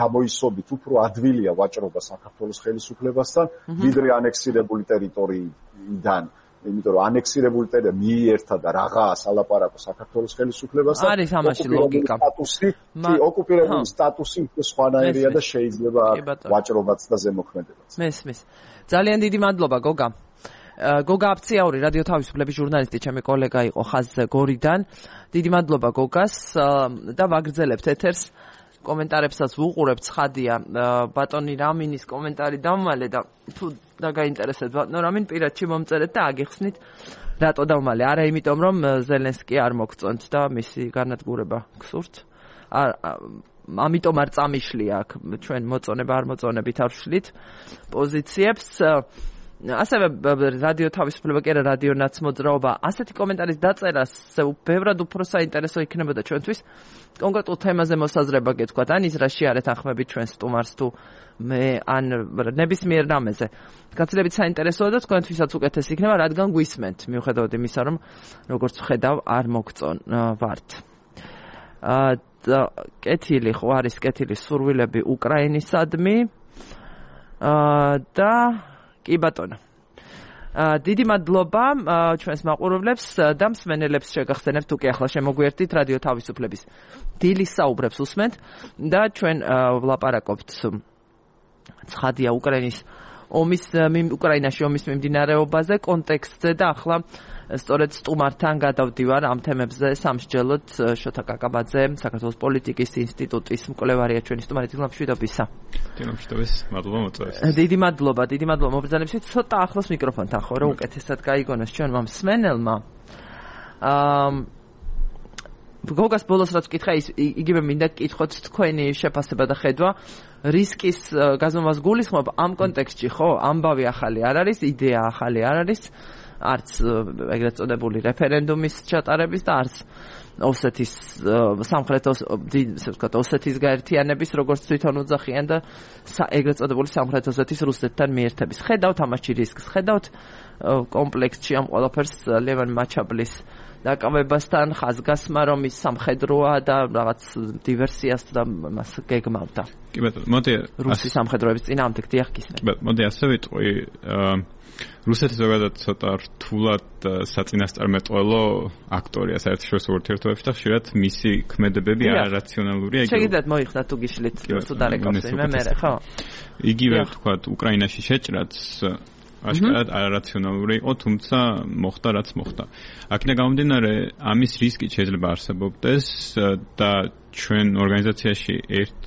გამოისობით უფრო ადვილია ვაჭრობა საქართველოს ხელისუფლებასთან, ვიდრე ანექსირებული ტერიტორიიდან. იმიტომ რომ ანექსირებული ტერიტორია მიიერთა და რაღაცა ალაპარაკო საქართველოს ხელისუფლებასთან. არის ამაში ლოგიკა. სტატუსი, კი, ოკუპირებული სტატუსი უფრო სხვანაირია და შეიძლება ვაჭრობაც და ზემოქმედებაც. მესმის. ძალიან დიდი მადლობა, გოგა. გოგა აფციაური, რადიო თავისუფლების ჟურნალისტი, ჩემი კოლეგა იყო ხაზზე გორიდან. დიდი მადლობა გოგას და ვაგრძელებთ ეთერს. კომენტარებსაც ვუყურებთ, ცხადია ბატონი რამინის კომენტარი დამმალე და თუ დაგაინტერესებთ ბატონო რამინ პირადში მომწერეთ და აგიხსნით რატო დავმალე. არა იმიტომ რომ ზელენსკი არ მოგწონთ და მისი განადგურება გსურთ. ამიტომ არ წამიშლია აქ ჩვენ მოწონება არ მოწონებით არ ვშლით პოზიციებს. ასევე რადიო თავისუფლება კი არა რადიო ნაცმოძრაობა ასეთი კომენტარის დაწერას ბევრად უფრო საინტერესო იქნებოდა ჩვენთვის კონკრეტულ თემაზე მოსაზრება გეთქვათ ან ის რა შეარეთ ახმებით ჩვენ სტუმარს თუ მე ან ნებისმიერ რამეზე გაცილებით საინტერესოა და თქვენთვისაც უკეთესი იქნება რადგან გვისმენთ მიუხედავად იმისა რომ როგორც ვხედავ არ მოგწონ ვართ და კეთილი ხო არის კეთილი სურვილები უკრაინისადმი და კი ბატონო. დიდი მადლობა ჩვენს მაყურებლებს და მსმენელებს შეგახსენებთ თუ კი ახლა შემოგვიერთდით რადიო თავისუფლების დილის საუბრებს უსმენთ და ჩვენ ვლაპარაკობთ ცხადია უკრაინის ომის უკრაინაში ომის მიმდინარეობაზე კონტექსტზე და ახლა სწორედ სტუმართან გადავდივარ ამ თემებზე სამსჯელოდ შოთა კაკაბაძე საქართველოს პოლიტიკის ინსტიტუტის მკვლევარია ჩვენი სტუმარი თილამშვიდობისა. თილამშვიდობის, მადლობა მოწვევით. დიდი მადლობა, დიდი მადლობა მობრძანებისთვის. ცოტა ახლოს მიკროფონთან ხო რომ უკეთესად გაიგონოს ჩვენმა მსმენელმა. აა გოგას ბოლოს რაც ვკითხა ის იგივე მინდა გკითხოთ თქვენი შეფასება და ხედვა რისკის გაზომვას გულისხმობ ამ კონტექსტში ხო ამბავი ახალი არ არის იდეა ახალი არ არის არც ეგრეთ წოდებული რეფერენდუმის ჩატარების და არც ოსეთის სამხრეთ ოსეთის გაერთიანების როგორც თვითონ უძახიან და ეგრეთ წოდებული სამხრეთ ოსეთის რუსეთთან მიერთების ხედავთ ამაში რისკს ხედავთ კომპლექსში ამ ყველაფერს ლევან მაჩაბლის დაკავებასთან ხაზგასმა რომ ის სამხედროა და რაღაც დივერსიას და მას გეგმავდა. კი ბატონო, მოდი რუსი სამხედროების წინააღმდეგ დიახ გისმენთ. კი ბატონო, მოდი ასე ვიტყვი, რუსეთი ზოგადად ცოტა რთულად საწინასწარმეტყველო აქტორია საერთაშორისო ურთიერთობებში და ხშირად მისი ქმედებები არარაციონალურია. შეგიძლიათ მოიხსნათ თუ გიშლით თუ დარეკავს მე მე ხო? იგივე ვთქვათ უკრაინაში შეჭრაც აშკარად არარაციონალური იყო, თუმცა მოხდა რაც მოხდა. აქედან გამომდინარე, ამის რისკი შეიძლება არსებობდეს და ჩვენ ორგანიზაციაში ერთ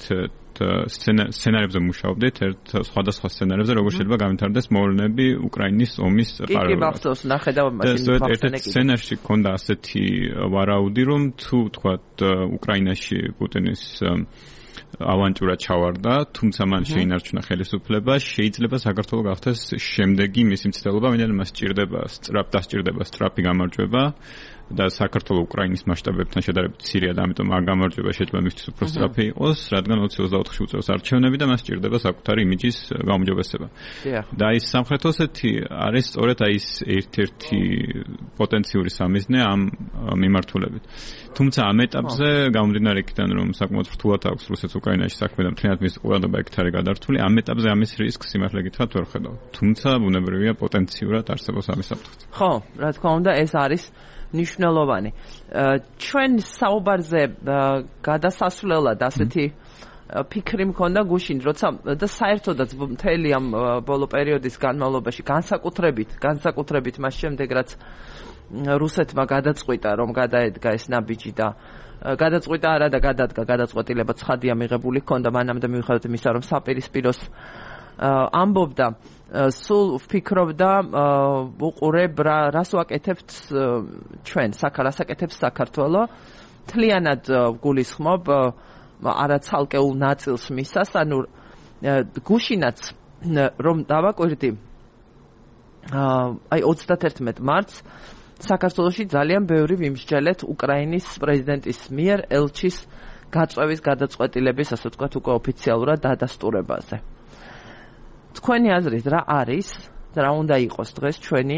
სცენარებზე მუშაობდით, ერთ სხვადასხვა სცენარებზე, როგორ შეიძლება გამართდეს მოვლენები უკრაინის ომის პარალელურად. კი, კი, მახსოვს, ნახე და მაშინ ერთ სცენარში ქონდა ასეთი ვარაუდი, რომ თუ თქვათ უკრაინაში პუტინის ავანტურა ჩავარდა, თუმცა მან შეინარჩუნა ხელისუფლება, შეიძლება საქართველოს გახდეს შემდეგი მისი მცდელობა, ვინაიდან მას სჭირდება სწრაფ დასჭირდება სწრაფი გამარჯვება და საქართველოს უკრაინის მასშტაბებთან შედარებით მცირეა და ამიტომ ამ გამარჯვება შეიძლება მისთვის უფრო სწრაფი იყოს, რადგან ოცი ოცდაოთხში უწევს არჩევნები და მას სჭირდება საკუთარი იმიჯის გაუმჯობესება. და ის სამხრეთ ოსეთი არის სწორედ აი ეს ერთ-ერთი პოტენციური სამიზნე ამ მიმართულებით. თუმცა ამ ეტაპზე გამომდინარე იქიდან რომ საკმაოდ რთულად აქვს რუსეთს უკრაინაში საქმე და მთლიანად მის ყურადღება ეგ არის გადართული, ამ ეტაპზე ამის რისკს სიმართლე გითხრათ ვერ ხედავ. თუმცა ბუნებრივია პოტენციურად არსებობს ამის საფრთხე. ხო, რა თქმა უნდა ეს არის ნიშნულოვანი. ჩვენ საუბარზე გადასასვლელად ასეთი ფიქრი მქონდა გუშინ, როცა და საერთოდაც მთელი ამ ბოლო პერიოდის განმავლობაში განსაკუთრებით, განსაკუთრებით მას შემდეგ რაც რუსეთმა გადაწყვიტა რომ გადაედგა ეს ნაბიჯი და გადაწყვიტა არა და გადადგა გადაწყვეტილება ცხადია მიღებული ჰქონდა მანამდე მიუხედავად იმისა რომ საპირისპიროს ამბობდა სულ ვფიქრობდა უყურებ რას ვაკეთებთ ჩვენ საქართველოს აკეთებს საქართველოს თლიანად გულისხმობ არა ცალკეულ ნაწილს მისას ანუ გუშინაც რომ დავაკვირდი აი ოცდაათი მარტს საქართველოში ძალიან ბევრი ვიმსჯელეთ უკრაინის პრეზიდენტის მიერ ელჩის გაწვევის გადაწყვეტილების ასე ვთქვათ უკვე ოფიციალურად დადასტურებაზე. თქვენი აზრით რა არის, რა უნდა იყოს დღეს ჩვენი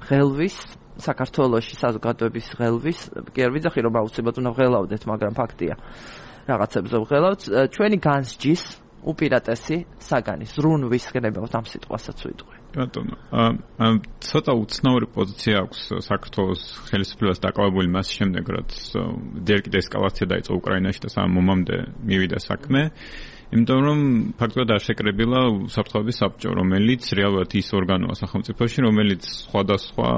ღელვის საქართველოში საზოგადოების ღელვის, კი არ ვიცი რომ აუცილებლად უნდა ვღელავდეთ, მაგრამ ფაქტია. რაღაცებზე ვღელავთ, ჩვენი განსჯის უპირატესი საგანი ზრუნვის გნებავთ ამ სიტყვასაც ვიტყვი. ბატონო, ამ ცოტა უცნაური პოზიცია აქვს საქართველოს ხელისუფლებას დაკავებული მას შემდეგ, რაც ჯერ კიდევ ესკალაცია დაიწყო უკრაინაში და სამ მომამდე მივიდა საქმე. იმიტომ რომ ფაქტობრივად არ შეკრებილა უსაფრთხოების საბჭო, რომელიც რეალურად ის ორგანოა სახელმწიფოში, რომელიც სხვადასხვა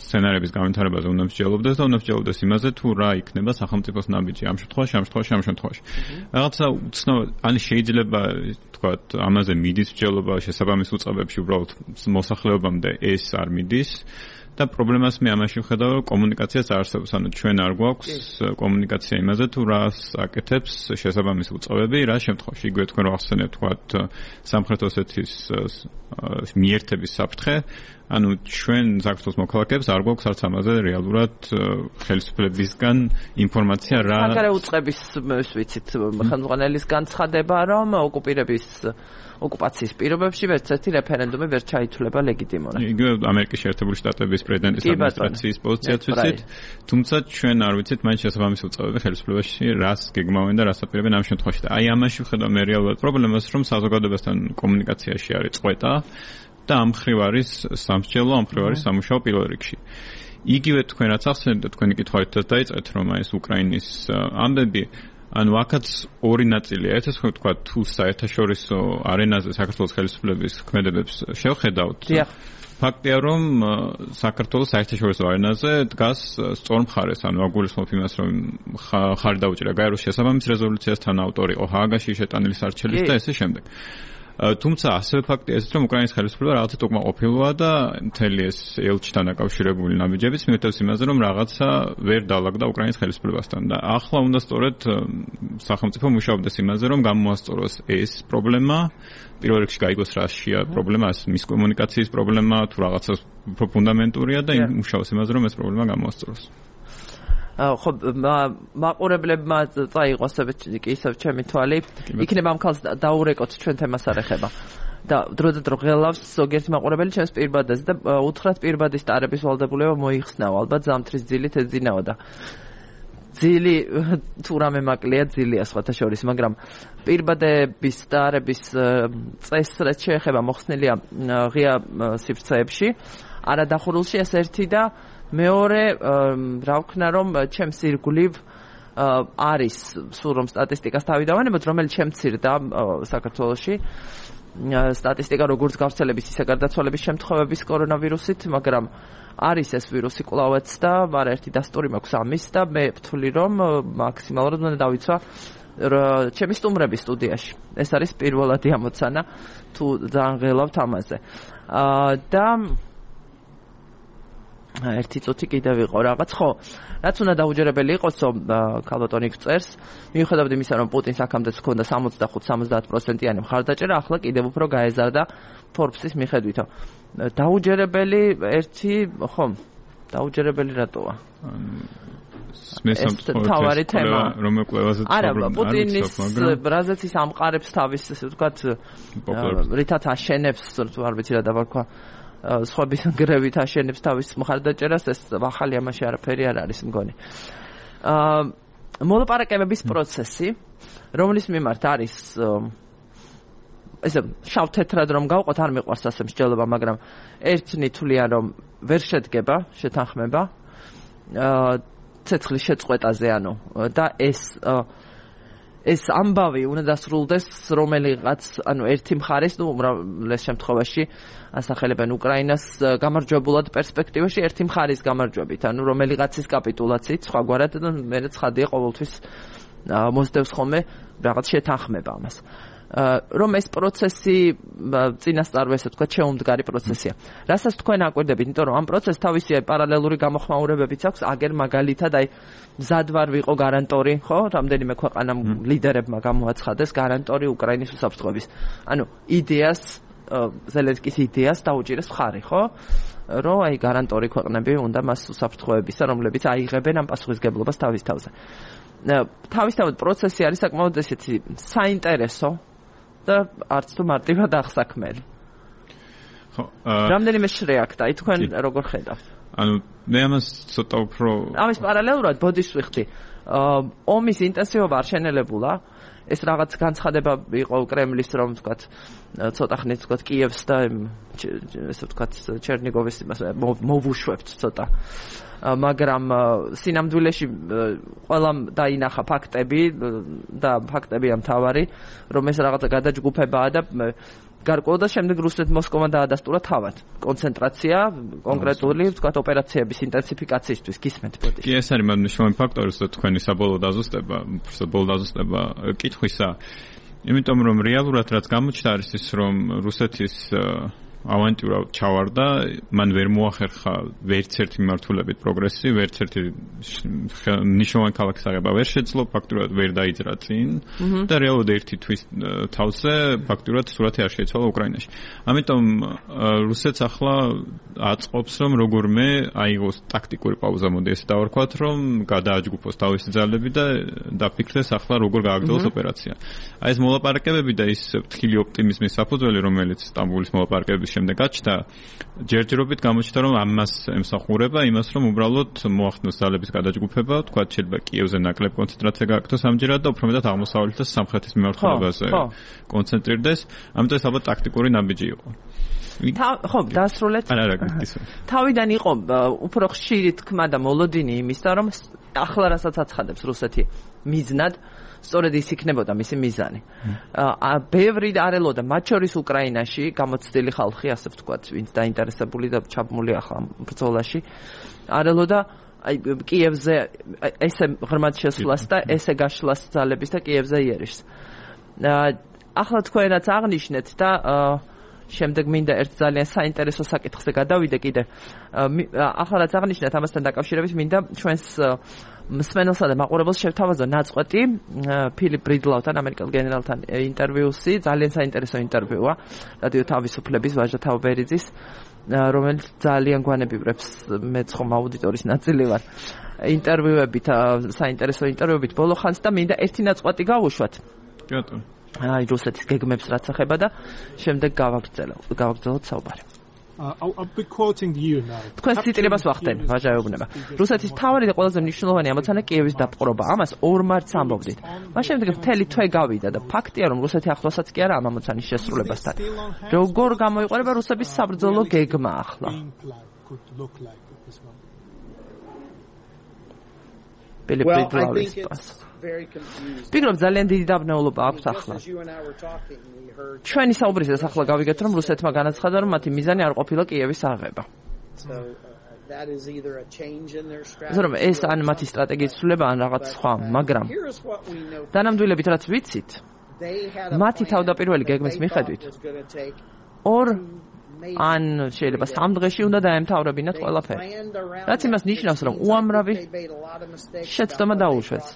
სცენარების განვითარებაზე უნდა მსჯელობდეს და უნდა მსჯელობდეს იმაზე, თუ რა იქნება სახელმწიფოს ნაბიჯი ამ შემთხვევაში, ამ შემთხვევაში, ამ შემთხვევაში. რაღაცა უცნაური, ანუ შეიძლება თქვათ, ამაზე მიდის მსჯელობა შესაბამის უწყებებში, უბრალოდ მოსახლეობამდე ეს არ მიდის. და პრობლემას მე ამაში ვხედავ, რომ კომუნიკაციაც არსებობს, ანუ ჩვენ არ გვაქვს კომუნიკაცია იმაზე, თუ რას აკეთებს შესაბამისი უწყებები, რა შემთხვევაში. იგივე თქვენ რო ახსენებთ, თქვათ, სამხრეთ ოსეთის მიერთების საფრთხე, ანუ ჩვენ საქართველოს მოქალაქეებს არ გვაქვს არც ამაზე რეალურად ხელისუფლებისგან ინფორმაცია რა. მაგარი უწყების ვიცით, ხელმძღვანელის განცხადება, რომ ოკუპირების ოკუპაციის პირობებში ვერც ერთი რეფერენდუმი ვერ ჩაითვლება ლეგიტიმურად. იგივე ამერიკის შეერთებული შტატების პრეზიდენტის ადმინისტრაციის პოზიციაც ვიცით, თუმცა ჩვენ არ ვიცით მაინც შესაბამისი უწყებები ხელისუფლებაში რას გეგმავენ და რას აპირებენ ამ შემთხვევაში. აი ამაში ვხედავ მე რეალურად პრობლემას, რომ საზოგადოებასთან კომუნიკაციაში არის წყვეტა და ამ მხრივ არის სამსჯელო, ამ მხრივ არის სამუშაო პირველ რიგში. იგივე თქვენ რაც ახსენეთ და თქვენი კითხვაითაც დაიწყეთ, რომ აი ეს უკრაინის ამბები ანუ აქაც ორი ნაწილია. ერთის ხო თქვა თუ საერთაშორისო არენაზე საქართველოს ხელისუფლების ქმედებებს შევხედავთ. ფაქტია რომ საქართველოს საერთაშორისო არენაზე დგას სწორ მხარეს, ანუ აგულისხმობ იმას, რომ ხარ დაუჭირა გაეროს შესაბამის რეზოლუციასთან ავტორი იყო ჰააგაში შეტანილი სარჩელის და ესე შემდეგ. თუმცა ასევე ფაქტია ეს, რომ უკრაინის ხელისუფლება რაღაცა უკმაყოფილოა და მთელი ეს ელჩთან დაკავშირებული ნაბიჯებიც მიუთითებს იმაზე, რომ რაღაცა ვერ დაალაგდა უკრაინის ხელისუფლებასთან და ახლა უნდა სწორედ სახელმწიფო მუშაობდეს იმაზე, რომ გამოასწოროს ეს პრობლემა, პირველ რიგში გაიგოს რაშია პრობლემა, მის კომუნიკაციის პრობლემა, თუ რაღაცა უფრო ფუნდამენტურია და იმუშაოს იმაზე, რომ ეს პრობლემა გამოასწოროს. ხო მაყურებლებმა წაიღოს კი ისევ ჩემი თვალი იქნება ამ ქალს დაურეკოთ ჩვენ თემას არ ეხება და დროდადრო დრო ღელავს ზოგიერთი მაყურებელი ჩემს პირბადას და უთხრათ პირბადის ტარების ვალდებულება მოიხსნაო ალბათ ზამთრის ძილით ეძინაო და ძილი თუ რამე მაკლია ძილია სხვათა შორის მაგრამ პირბადების ტარების წესრეთ შეეხება მოხსნილია ღია სივრცეებში არადახურულში ეს ერთი და მეორე რა ვქნა რომ ჩემს ირგვლივ არის სულ რომ სტატისტიკას თავი დავანებოთ რომელიც შემცირდა საქართველოში სტატისტიკა როგორც გავრცელების ისე გარდაცვალების შემთხვევების კორონავირუსით მაგრამ არის ეს ვირუსი კვლავაც და არაერთი დასტური მაქვს ამის და მე ვთვლი რომ მაქსიმალურად უნდა დავიცვა ჩემი სტუმრების სტუდიაში ეს არის პირველადი ამოცანა თუ ძალიან ღელავთ ამაზე და ერთი წუთი კიდევ იყო რაღაც ხო რაც უნდა დაუჯერებელი იყოს რომ ქალბატონი წერს მიუხედავად იმისა რომ პუტინს აქამდეც ჰქონდა სამოცდახუთ სამოცდაათ პროცენტიანი მხარდაჭერა ახლა კიდევ უფრო გაეზარდა ფორბსის მიხედვითო დაუჯერებელი ერთი ხო დაუჯერებელი რატოა ეს თავარი თემა რომ ეკვლევაზე არა პუტინის რაზეც ის ამყარებს თავის ესე ვთქვათ რითაც აშენებს თუ არ ვიცი რა დავარქვა სხვების გრევით აშენებს თავის მხარდაჭერას ეს ახალი ამაში არაფერი არ არის მგონი. აა მოლაპარაკებების პროცესი, რომლის მიმართ არის ესე შავ-თეთრად რომ გავყოთ არ მიყვარს ასე მსჯელობა, მაგრამ ერთნი თვლიან რომ ვერ შედგება შეთანხმება აა ცეცხლის შეწყვეტაზე ანუ და ეს ეს ამბავი უნდა დასრულდეს რომელიღაც ანუ ერთი მხარეს ნუ უმრავლეს შემთხვევაში ასახელებენ უკრაინას გამარჯვებულად პერსპექტივაში ერთი მხარის გამარჯვებით ანუ რომელიღაცის კაპიტულაციით სხვაგვარად და მე ცხადია ყოველთვის მოსდევს ხოლმე რაღაც შეთანხმება ამას რომ ეს პროცესი წინასწარ ესე თქვა შეუმდგარი პროცესია. რასაც თქვენ აკვირდებით, იმიტომ რომ ამ პროცესს თავისი პარალელური გამოხმაურებებიც აქვს, აგერ მაგალითად აი მზად ვარ ვიყო გარანტორი, ხო? რამდენიმე ქვეყანამ ლიდერებმა გამოაცხადეს გარანტორი უკრაინის უსაფრთხოების. ანუ იდეას ზელენსკის იდეას დაუჭირეს მხარი, ხო? რომ აი გარანტორი ქვეყნები უნდა მას უსაფრთხოებისა, რომლებიც აიღებენ ამ პასუხისგებლობას თავის თავზე. თავისთავად პროცესი არის საკმაოდ ესეთი საინტერესო და არც თუ მარტივად აღსაქმელი. ხო, რამდენიმე შრეაქდა, აი თქვენ როგორ ხედავთ? ანუ მე ამას ცოტა უფრო ამის პარალელურად ბოდიშს ვიხდი. ომის ინტენსივობა არ შენელებულა. ეს რაღაც განცხადება იყო კრემლის რომ ვთქვათ ცოტა ხნით ვთქვათ კიევს და ესე ვთქვათ ჩერნიგოვის იმას მოვუშვებთ ცოტა. მაგრამ სინამდვილეში ყველამ დაინახა ფაქტები და ფაქტებია მთავარი რომ ეს რაღაცა გადაჯგუფებაა და გარკვეულ და შემდეგ რუსეთ მოსკოვმა დაადასტურა თავად კონცენტრაცია კონკრეტული ვთქვათ ოპერაციების ინტენსიფიკაციისთვის გისმენთ ბოდიში. კი ეს არის მნიშვნელოვანი ფაქტორი როცა თქვენი საბოლოო დაზუსტება საბოლოო დაზუსტება კითხვისა იმიტომ რომ რეალურად რაც გამოჩნდა არის ის რომ რუსეთის ავანტიურა ჩავარდა, მან ვერ მოახერხა ვერც ერთი მიმართულებით პროგრესი, ვერც ერთი მნიშვნელოვანი ქალაქის აღება ვერ შეძლო, ფაქტურად ვერ დაიძრა წინ და რეალურად ერთი თვის თავზე ფაქტურად სურათი არ შეიცვალა უკრაინაში. ამიტომ რუსეთს ახლა აწყობს რომ როგორმე აიღოს ტაქტიკური პაუზა, მოდი ესე დავარქვათ, რომ გადააჯგუფოს თავისი ძალები და დაფიქრდეს ახლა როგორ გააგრძელოს ოპერაცია. აი ეს მოლაპარაკებები და ის ფრთხილი ოპტიმიზმის საფუძველი, რომელიც სტამბოლის მოლაპარაკებების შემდეგ გაჩნდა, ჯერჯერობით გამოჩნდა, რომ ამას ემსახურება იმას, რომ უბრალოდ მოახდინოს ძალების გადაჯგუფება, თქვა შეიძლება კიევზე ნაკლებ კონცენტრაცია გააკეთოს ამჯერად და უფრო მეტად აღმოსავლეთ და სამხრეთის მიმართულებაზე კონცენტრირდეს. ამიტომ ეს ალბათ ტაქტიკური ნაბიჯი იყო. ხო, დასრულეთ. არა, არა, გისმენთ. თავიდან იყო უფრო ხშირი თქმა და მოლოდინი იმისა, რომ ახლა რასაც აცხადებს რუსეთი მიზნად სწორედ ის იქნებოდა მისი მიზანი. ბევრი არელოდა, მათ შორის უკრაინაში გამოცდილი ხალხი, ასე ვთქვათ, ვინც დაინტერესებული და ჩაბმული ახლა ბრძოლაში, არელოდა აი კიევზე ესე ღრმად შესვლას და ესე გაშლას ძალების და კიევზე იერიშს. ახლა თქვენაც აღნიშნეთ და შემდეგ მინდა ერთ ძალიან საინტერესო საკითხზე გადავიდე კიდე. ახლა რაც აღნიშნეთ ამასთან დაკავშირებით მინდა ჩვენს მსმენელსა და მაყურებელს შევთავაზო ნაწყვეტი ფილიპ ბრიდლაუთან, ამერიკელ გენერალთან ინტერვიუსი, ძალიან საინტერესო ინტერვიუა რადიო თავისუფლების ვაჟა თავბერიძის, რომელიც ძალიან გვანებივრებს მეც ხომ აუდიტორის ნაწილი ვარ. ინტერვიუებით, საინტერესო ინტერვიუებით ბოლო ხანს და მინდა ერთი ნაწყვეტი გავუშვათ. კი ბატონო. აი რუსეთის გეგმებს რაც ეხება და შემდეგ გავაგრძელოთ გავაგრძელოთ საუბარი. Uh, I'll, I'll be quoting you now. თქვენ ციტირებას ვახდენ, ვაჟაეუბნება. რუსეთის მთავარი და ყველაზე მნიშვნელოვანი ამოცანა კიევის დაპყრობა. ამას ორ მარტს ამბობდით. მას შემდეგ მთელი თვე გავიდა და ფაქტია, რომ რუსეთი ახლოსაც კი არა ამ ამოცანის შესრულებასთან. როგორ გამოიყურება რუსების საბრძოლო გეგმა ახლა? ვფიქრობ ძალიან დიდი დაბნეულობა აქვს ახლა. ჩვენი საუბრისას ახლა გავიგეთ, რომ რუსეთმა განაცხადა, რომ მათი მიზანი არ ყოფილა კიევის აღება. ზოგადად ეს ან მათი სტრატეგიის ცვლილება ან რაღაც სხვა, მაგრამ დანამდვილებით რაც ვიცით, მათი თავდაპირველი გეგმის მიხედვით ორ ან შეიძლება სამ დღეში უნდა დაემთავრებინათ ყველაფერი. რაც იმას ნიშნავს, რომ უამრავი შეცდომა დაუშვეს.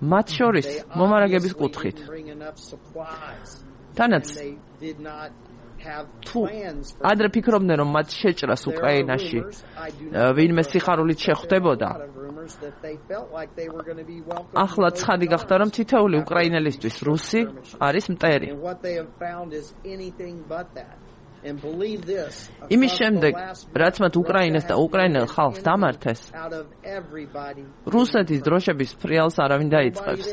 მათ შორის მომარაგების კუთხით. თანაც თუ ადრე ფიქრობდნენ, რომ მათ შეჭრას უკრაინაში ვინმე სიხარულით შეხვდებოდა, ახლა ცხადი გახდა, რომ თითოეული უკრაინელისთვის რუსი არის მტერი. იმის შემდეგ, რაც მათ უკრაინას და უკრაინელ ხალხს დამართეს, რუსეთის დროშების ფრიალს არავინ დაიწყებს.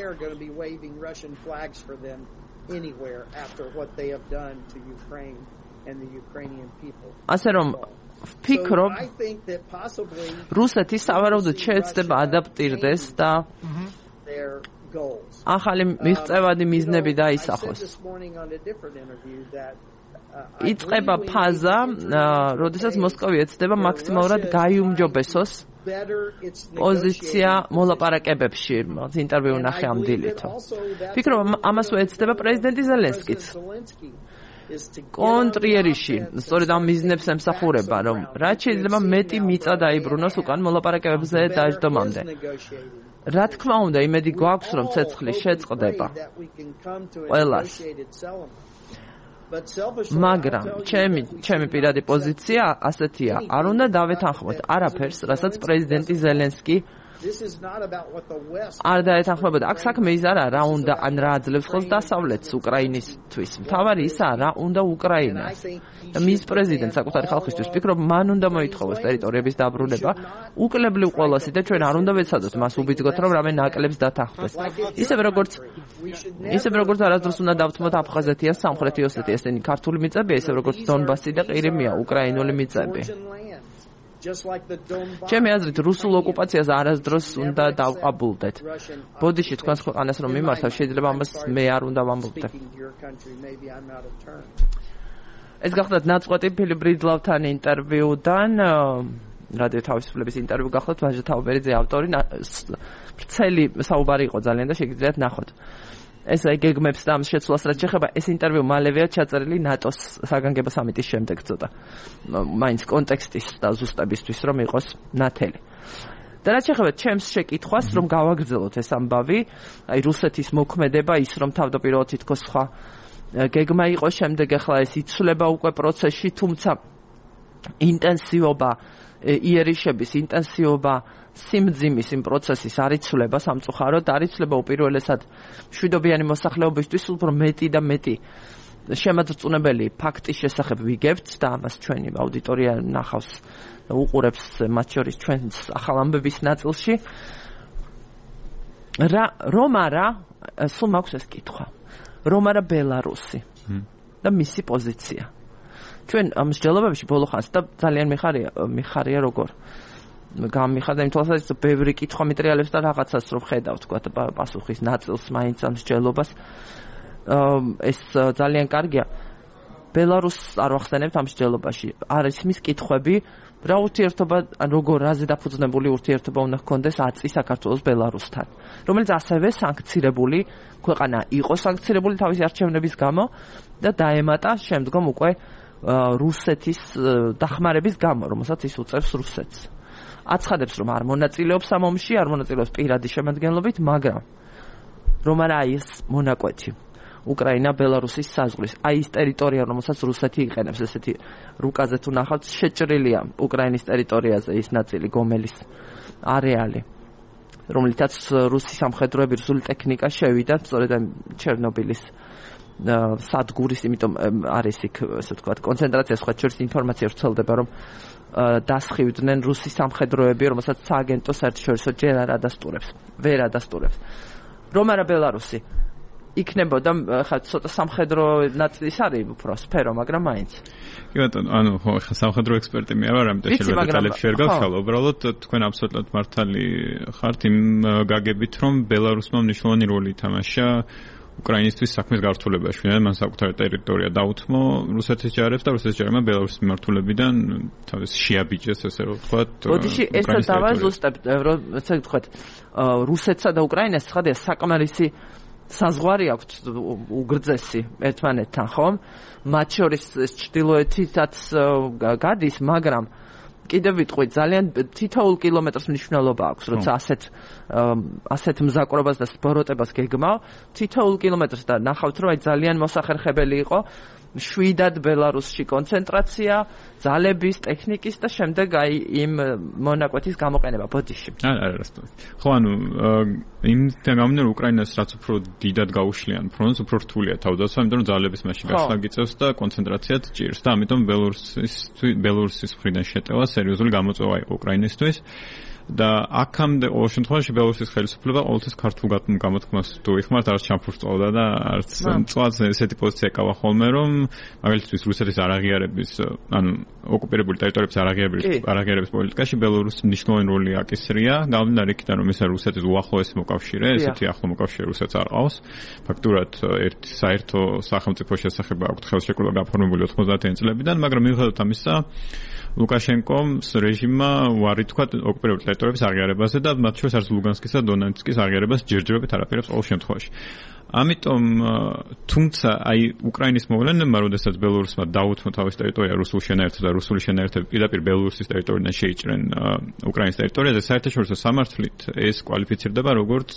ასე რომ ვფიქრობ, რუსეთი სავარაუდოდ შეეცდება ადაპტირდეს და ახალი მიღწევადი მიზნები დაისახოს. იწყება ფაზა, როდესაც მოსკოვი ეცდება მაქსიმალურად გაიუმჯობესოს პოზიცია მოლაპარაკებებში, ინტერვიუ ნახე ამ დილით. ფიქრობ, ამას უეცდება პრეზიდენტი ზელენსკიც. კონტრიერიში, სწორედ ამ მიზნებს ემსახურება, რომ რაც შეიძლება მეტი მიწა დაიბრუნოს უკან მოლაპარაკებებზე დაждომამდე. რა თქმა უნდა, იმედი გვაქვს, რომ ცეცხლი შეწყდება ყველას. მაგრამ ჩემი ჩემი პირადი პოზიცია ასეთია, არ უნდა დავეთანხმოთ არაფერს, რასაც პრეზიდენტი ზელენსკი არ დაეთანხმებოდა. აქ საქმე ის არა, რა უნდა ან რა აძლევს ხელს დასავლეთს უკრაინისთვის. მთავარი ისაა, რა უნდა უკრაინას. და მის პრეზიდენტს საკუთარი ხალხისთვის ფიქრობ, მან უნდა მოითხოვოს ტერიტორიების დაბრუნება, უკლებლივ ყველასი და ჩვენ არ უნდა ვეცადოთ მას უბიძგოთ, რომ რამე ნაკლებს დათანხმდეს. ისევე როგორც ისევე როგორც არასდროს უნდა დავთმოთ აფხაზეთია, სამხრეთი ოსეთი, ესენი ქართული მიწებია, ისევე როგორც დონბასი და ყირიმია, უკრაინული მიწები. ჩემი აზრით, რუსულ ოკუპაციას არასდროს უნდა დავყაბულდეთ. ბოდიში თქვენს ქვეყანას რომ მიმართავ, შეიძლება ამას მე არ უნდა ვამბობდე. ეს გახლავთ ნაწყვეტი ფილიპ ბრიდლავთან ინტერვიუდან, რადიო თავისუფლების ინტერვიუ გახლავთ, ვაჟა თაუბერიძე ავტორი, ვრცელი საუბარი იყო ძალიან და შეგიძლიათ ნახოთ. ეს გეგმებს და ამ შეცვლას რაც შეეხება, ეს ინტერვიუ მალევეა ჩაწერილი ნატოს საგანგებო სამიტის შემდეგ ცოტა. მაინც კონტექსტის და ზუსტებისთვის რომ იყოს ნათელი. და რაც შეეხება ჩემს შეკითხვას, რომ გავაგრძელოთ ეს ამბავი, აი რუსეთის მოქმედება, ის რომ თავდაპირველად თითქოს სხვა გეგმა იყო, შემდეგ ახლა ეს იცვლება უკვე პროცესში, თუმცა ინტენსივობა, იერიშების ინტენსივობა, სიმძიმის იმ პროცესის არ იცვლება სამწუხაროდ, არ იცვლება უპირველესად მშვიდობიანი მოსახლეობისთვის, უფრო მეტი და მეტი შემაძრწუნებელი ფაქტის შესახებ ვიგებთ და ამას ჩვენი აუდიტორია ნახავს და უყურებს მათ შორის ჩვენს ახალ ამბების ნაწილში. რა რომ არა, სულ მაქვს ეს კითხვა. რომ არა ბელარუსი და მისი პოზიცია. ჩვენ ამ მსჯელობებში ბოლო ხანს და ძალიან მიხარია, მიხარია როგორ გამიხარდა იმ თვალსაზრისით, ბევრი კითხვა მეტრიალებს და რაღაცას რომ ხედავ, თქვა პასუხის ნაწილს მაინც ამ მსჯელობას. ეს ძალიან კარგია. ბელარუსს არ ვახსენებთ ამ მსჯელობაში. არის მის კითხვები, რა ურთიერთობა, როგორ რაზე დაფუძნებული ურთიერთობა უნდა ჰქონდეს აწი საქართველოს ბელარუსთან, რომელიც ასევე სანქცირებული ქვეყანა იყო, სანქცირებული თავისი არჩევნების გამო და დაემატა შემდგომ უკვე რუსეთის დახმარების გამო, რომელსაც ის უწევს რუსეთს. აცხადებს, რომ არ მონაწილეობს ამ ომში, არ მონაწილეობს პირადი შემადგენლობით, მაგრამ რომ არა ის მონაკვეთი უკრაინა ბელარუსის საზღვრის, აი ის ტერიტორია, რომელსაც რუსეთი იყენებს, ესეთი რუკაზე თუ ნახავთ, შეჭრილია უკრაინის ტერიტორიაზე ის ნაწილი, გომელის არეალი, რომლითაც რუსი სამხედროები, რუსული ტექნიკა შევიდა, სწორედ ჩერნობილის სადგურის, იმიტომ არის იქ, ესე ვთქვათ, კონცენტრაცია, სხვა შორის ინფორმაცია ვრცელდება, რომ დასხივდნენ რუსი სამხედროები, რომელსაც სააგენტო საერთაშორისო ჯერ არ ადასტურებს, ვერ ადასტურებს. რომ არა ბელარუსი იქნებოდა ხა ცოტა სამხედრო ნაწილის არის უფრო სფერო, მაგრამ მაინც. კი ბატონო, ანუ ხო, ხა სამხედრო ექსპერტი მე ვარ, ამიტომ შეიძლება დეტალებში ვერ გავშალო. უბრალოდ თქვენ აბსოლუტურად მართალი ხართ იმ გაგებით, რომ ბელარუსმა მნიშვნელოვანი როლი ითამაშა უკრაინისთვის საქმის გართულებაში, მან საკუთარი ტერიტორია დაუთმო რუსეთის ჯარებს და რუსეთის ჯარებმა ბელარუსის მიმართულებიდან თავის შეაბიჯეს, ესე რომ ვთქვათ. ბოდიში ეს დავაზუსტებ, რომ ესე ვთქვათ, რუსეთსა და უკრაინას ხადია საკმარისი საზღვარი აქვთ უგრძესი ერთმანეთთან, ხომ? მათ შორის ეს ჩრდილოეთითაც გადის, მაგრამ კიდევ ვიტყვი, ძალიან თითოეულ კილომეტრს მნიშვნელობა აქვს, როცა ასეთ ასეთ მზაკვრობას და სპოროტებას გეგმავ, თითოეულ კილომეტრს და ნახავთ, რომ აი ძალიან მოსახერხებელი იყო შვიდად ბელარუსში კონცენტრაცია, ძალების, ტექნიკის და შემდეგ აი იმ მონაკვეთის გამოყენება ბოდიში. არა, არა, რასტოვი. ხო, ანუ იმიდან გამომდინარე, უკრაინას რაც უფრო დიდად გაუშლიან ფრონტს, უფრო რთულია თავდაცვა, იმიტომ რომ ძალების მასში გასვლა გიწევს და კონცენტრაციაც ჭირს და ამიტომ ბელარუსის ბელარუსის მხრიდან შეტევა სერიოზული გამოწვევა იყო უკრაინისთვის. და აქამდე ყოველ შემთხვევაში ბელარუსის ხელისუფლება ყოველთვის ქართულ გამოთქმას თუ იხმართ, არც ჩამფურწოვდა და არც მწვადს ესეთი პოზიცია ეკავა ხოლმე, რომ მაგალითად რუსეთის არაღიარების, ანუ ოკუპირებული ტერიტორიების არაღიარების არაღიარების პოლიტიკაში ბელარუსი მნიშვნელოვანი როლი აკისრია, გამომდინარე იქიდან, რომ ეს რუსეთის უახლოესი მოკავშირე, ესეთი ახლო მოკავშირე რუსეთს არ ყავს. ფაქტურად ერთ საერთო სახელმწიფო შესახება აქვს ხელშეკრულება გაფორმებული ოთხმოცდაათიანი წლებიდან, მაგრამ მიუხედავად ამისა, ლუკაშენკოს რეჟიმმა უარი თქვა ოკუპირებული ტერიტორიების აღიარებაზე და მათ შორის არის ლუგანსკის და დონეცკის აღიარებას ჯერჯერობით არაპირებს ყოველ შემთხვევაში. ამიტომ თუმცა აი უკრაინის მოვლენებმა, როდესაც ბელორუსმა დაუთმო თავის ტერიტორია რუსულ შენაერთებს და რუსული შენაერთები პირდაპირ ბელორუსის ტერიტორიიდან შეიჭრენ უკრაინის ტერიტორიაზე, საერთაშორისო სამართლით ეს კვალიფიცირდება როგორც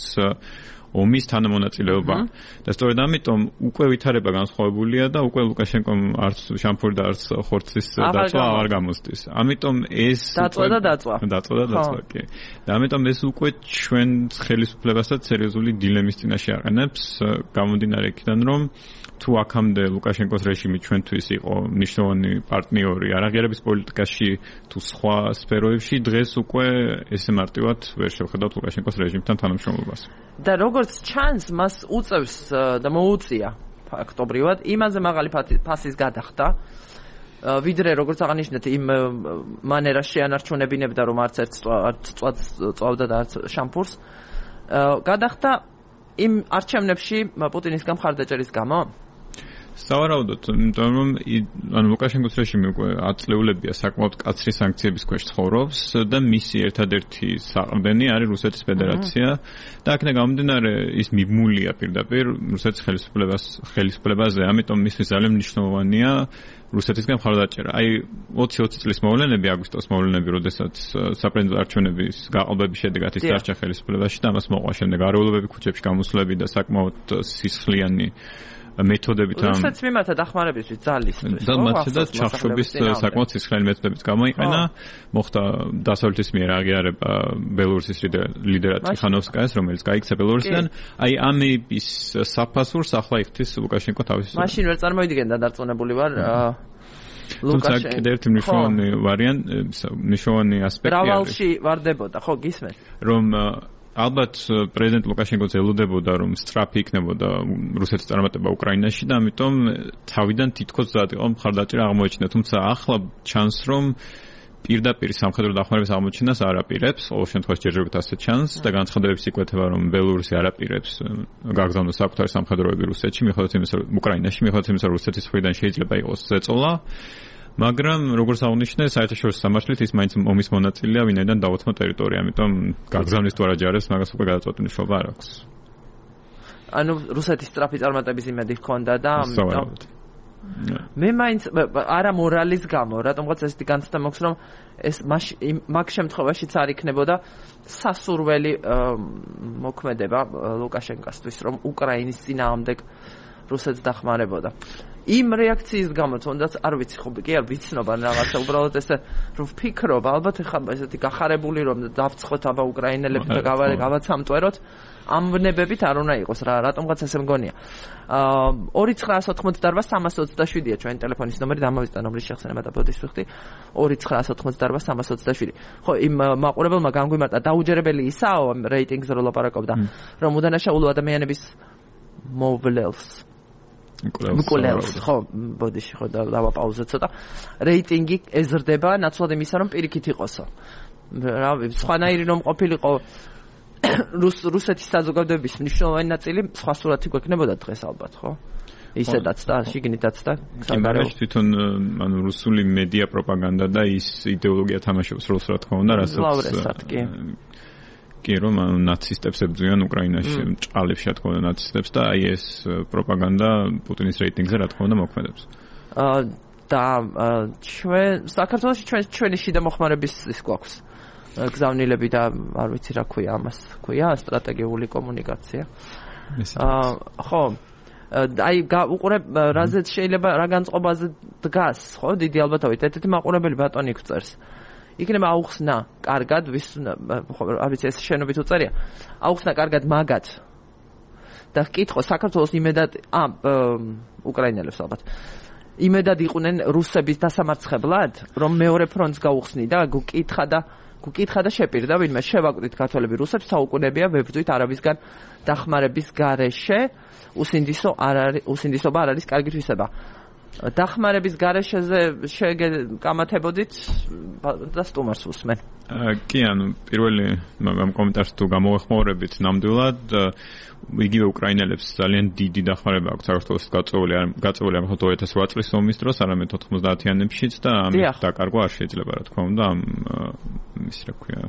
ომის თანამონაწილეობა. და სწორედ ამიტომ უკვე ვითარება განსხვავებულია და უკვე ლუკაშენკომ არც შამფური და არც ხორცის დაწვა არ გამოსდის. ამიტომ ეს დაწვა და დაწვა. დაწვა და დაწვა, კი. და ამიტომ ეს უკვე ჩვენ ხელისუფლებასაც სერიოზული დილემის წინაშე აყენებს, გამომდინარე იქიდან, რომ თუ აქამდე ლუკაშენკოს რეჟიმი ჩვენთვის იყო მნიშვნელოვანი პარტნიორი არაღიარების პოლიტიკაში თუ სხვა სფეროებში, დღეს უკვე ესე მარტივად ვერ შევხედავთ ლუკაშენკოს რეჟიმთან თანამშრომლობას. და როგორც ჩანს, მას უწევს და მოუწია ფაქტობრივად იმაზე მაღალი ფასის გადახდა, ვიდრე როგორც აღნიშნეთ, იმ მანერას შეანარჩუნებინებდა, რომ არც ერთ წვაც წვავდა და არც შამფურს. გადახდა იმ არჩევნებში პუტინისგან მხარდაჭერის გამო? სავარაუდოდ, იმიტომ რომ ანუ ლუკაშენკოს რეჟიმი უკვე ათწლეულებია საკმაოდ კაცრი სანქციების ქვეშ ცხოვრობს და მისი ერთადერთი საყრდენი არის რუსეთის ფედერაცია და აქედან გამომდინარე ის მიბმულია პირდაპირ რუსეთის ხელისუფლებას ხელისუფლებაზე, ამიტომ მისთვის ძალიან მნიშვნელოვანია რუსეთისგან მხარდაჭერა. აი ოცი ოცი წლის მოვლენები, აგვისტოს მოვლენები, როდესაც საპრეზიდენტო არჩევნების გაყალბების შედეგად ის დარჩა ხელისუფლებაში და ამას მოყვა შემდეგ არეულობები ქუჩებში გამოსვლები და საკმაოდ სისხლიანი მეთოდებით ამ რუსეთს მიმართა დახმარებისთვის ძალისთვის და მათდა ჩახშობის საკმაოდ სისხლიანი მეთოდებიც გამოიყენა, მოხდა დასავლეთის მიერ აღიარება ბელორუსის ლიდერად ტიხანოვსკაიას, რომელიც გაიქცა ბელორუსიდან. აი ამის საფასურს ახლა იხდის ლუკაშენკო თავის. მაშინ ვერ წარმოიდგენდა დარწმუნებული ვარ ლუკაშენკო. კიდევ ერთი მნიშვნელოვანი ვარიანტი, მნიშვნელოვანი ასპექტი არის. რავალში ვარდებოდა, ხო გისმენთ? რომ ალბათ პრეზიდენტ ლუკაშენკოც ელოდებოდა, რომ სწრაფი იქნებოდა რუსეთის წარმატება უკრაინაში და ამიტომ თავიდან თითქოს მზად იყო მხარდაჭერა აღმოეჩინა, თუმცა ახლა ჩანს, რომ პირდაპირ სამხედრო დახმარების აღმოჩენას არ აპირებს, ყოველ შემთხვევაში ჯერჯერობით ასე ჩანს და განცხადებების იკვეთება, რომ ბელორუსი არ აპირებს გაგზავნოს საკუთარი სამხედროები რუსეთში, მიუხედავად იმისა, რომ უკრაინაში, მიუხედავად იმისა, რომ რუსეთის მხრიდან შეიძლება იყოს ზეწოლა. მაგრამ როგორც აღნიშნე, საერთაშორისო სამართლით ის მაინც ომის მონაწილეა, ვინაიდან დაუთმო ტერიტორია, ამიტომ გაგზავნის თუ არა ჯარებს, მაგას უკვე გადაწყვეტილი მნიშვნელობა არ აქვს. ანუ რუსეთის სწრაფი წარმატების იმედი ჰქონდა და ამიტომ მე მაინც არა მორალის გამო, რატომღაც ესეთი განცდა მაქვს, რომ ეს მაგ შემთხვევაშიც არ იქნებოდა სასურველი მოქმედება ლუკაშენკოსთვის, რომ უკრაინის წინააღმდეგ რუსეთს დახმარებოდა. იმ რეაქციის გამო თუნდაც არ ვიცი ხო კი არ ვიცნობა რაღაცა უბრალოდ ესე რომ ვფიქრობ ალბათ ეხლა ესეთი გახარებული რომ დავცხოთ აბა უკრაინელები და გავაცამტვეროთ ამ ვნებებით არ უნდა იყოს რა რატომღაც ესე მგონია აა ორი ცხრაას ოთხმოცდაარბა სამას ოცდაშვიდია ჩვენი ტელეფონის ნომერი დამავიწყდა რომლის შეხსენება და ბოდის ვიხდი ორი ცხრაას ოთხმოცდაარბა სამას ოცდაშვიდი ხო იმ მაყურებელმა განგვიმარტა დაუჯერებელი ისაო რეიტინგზე რო ლაპარაკობდა რომ უდანაშაულო ადამიანების მოვლელს მკვლელს ხო ბოდიში ხო დავაპაუზე ცოტა რეიტინგი ეზრდება ნაცვლად იმისა რომ პირიქით იყოსო რა სხვანაირი რომ ყოფილიყო რუსეთის საზოგადოების მნიშვნელოვანი ნაწილი სხვა სურათი გვექნებოდა დღეს ალბათ ხო ისედაც და შიგნითაც და სამაგერში თვითონ ანუ რუსული მედია პროპაგანდა და ის იდეოლოგია თამაშობს როლს რა თქმა უნდა რასაც კი რომ ნაცისტებს ებრძვიან უკრაინაში ჭალებში რა თქმა უნდა ნაცისტებს და აი ეს პროპაგანდა პუტინის რეიტინგზე რა თქმა უნდა მოქმედებს. აა და ჩვენ საქართველოში ჩვენ ჩვენი შიდა მოხმარების ის გვაქვს გზავნილები და არ ვიცი რა ქვია ამას ქვია სტრატეგიული კომუნიკაცია. აა ხო აი უყურებ რაზეც შეიძლება რა განწყობაზე დგას ხო დიდი ალბათობით ერთ-ერთი მაყურებელი ბატონი გვწერს იქნება აუხსნა კარგად ვის არ ვიცი ეს შენობით უწერია აუხსნა კარგად მაგათ და კითხო საქართველოს იმედად ა უკრაინელებს ალბათ იმედად იყვნენ რუსების დასამარცხებლად რომ მეორე ფრონტს გაუხსნი და გუკითხა და გუკითხა და შეპირდა ვინმე შევაკვდით ქართველები რუსებს საუკუნეებია ვებრძვით არაბისგან დახმარების გარეშე უსინდისო არ არის უსინდისობა არ არის კარგი თვისება დახმარების გარეშეზე შეგეკამათებოდით და სტუმარს უსმენ. კი, ანუ პირველი მაგამ კომენტარს თუ გამოვეხმაურებით ნამდვილად იგივე უკრაინელებს ძალიან დიდი დახმარება აქვს საქართველოს გაწეული გაწეული ამ ორი ათას ოთხ წლის ომის დროს, არამედ ოთხმოცდაათიანებშიც და ამის დაკარგვა არ შეიძლება რა თქმა უნდა ამ ის რა ქვია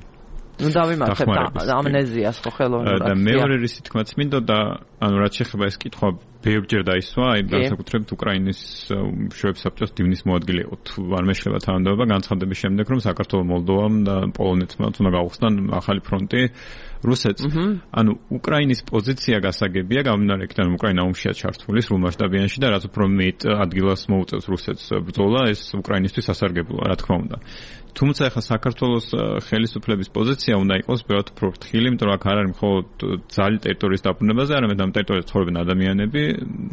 ნუ დავიმართებთ ამნეზიას ხო ხელოვნურად. და მეორე რისი თქმაც მინდოდა, ანუ რაც შეეხება ეს კითხვა ბევრჯერ დაისვა, აი განსაკუთრებით უკრაინის მშვიდობის საბჭოს დივნის მოადგილე იყო. თუ არ მეშლება თანამდებობა განცხადების შემდეგ, რომ საქართველოს, მოლდოვამ და პოლონეთმა უნდა გავხსნან ახალი ფრონტი რუსეთს. ანუ უკრაინის პოზიცია გასაგებია, გამომდინარე იქიდან უკრაინა ომშია ჩართული სრულ მასშტაბიანში და რაც უფრო მეტ ადგილას მოუწევს რუსეთს ბრძოლა, ეს უკრაინისთვის ასარგებლოა, რა თქმა უნდა. თუმცა ახლა საქართველოს ხელისუფლების პოზიცია უნდა იყოს ბევრად უფრო ფრთხილი, იმიტომ რომ აქ არ არის მხოლოდ ძალი ტერიტორიის დაბრუნებაზე, არამედ ამ ტერიტორიაზე ცხოვრობენ ადამიანები,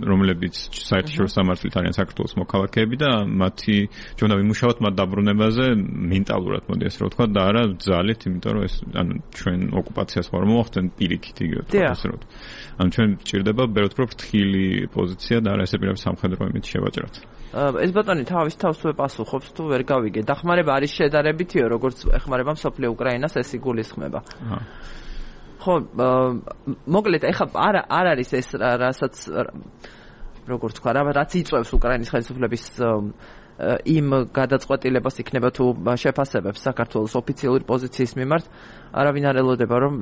რომლებიც საერთაშორისო სამართლით არიან საქართველოს მოქალაქეები და მათი ჩვენ ვიმუშაოთ მათ დაბრუნებაზე მენტალურად, მოდი ასე რომ ვთქვა, და არა ძალით, იმიტომ რომ ეს ანუ ჩვენ ოკუპაციას ხარ მოახდენ პირიქით იგივე ასე რომ. ანუ ჩვენ გვჭირდება ბევრად უფრო ფრთხილი პოზიცია და არა ესე პირდაპირ სამხედრო იმით შევაჭრათ. ეს ბატონი თავის თავს უპასუხობს თუ ვერ გავიგე. დახმარება არის შედარებითიო, როგორც ეხმარება მსოფლიო უკრაინას, ეს იგულისხმება. ხო, მოკლედ ეხლა არ არ არის ეს რასაც როგორც თქვა, რაც იწვევს უკრაინის ხელისუფლების იმ გადაწყვეტილებას იქნება თუ შეფასებებს საქართველოს ოფიციალური პოზიციის მიმართ, არავინ არ ელოდება რომ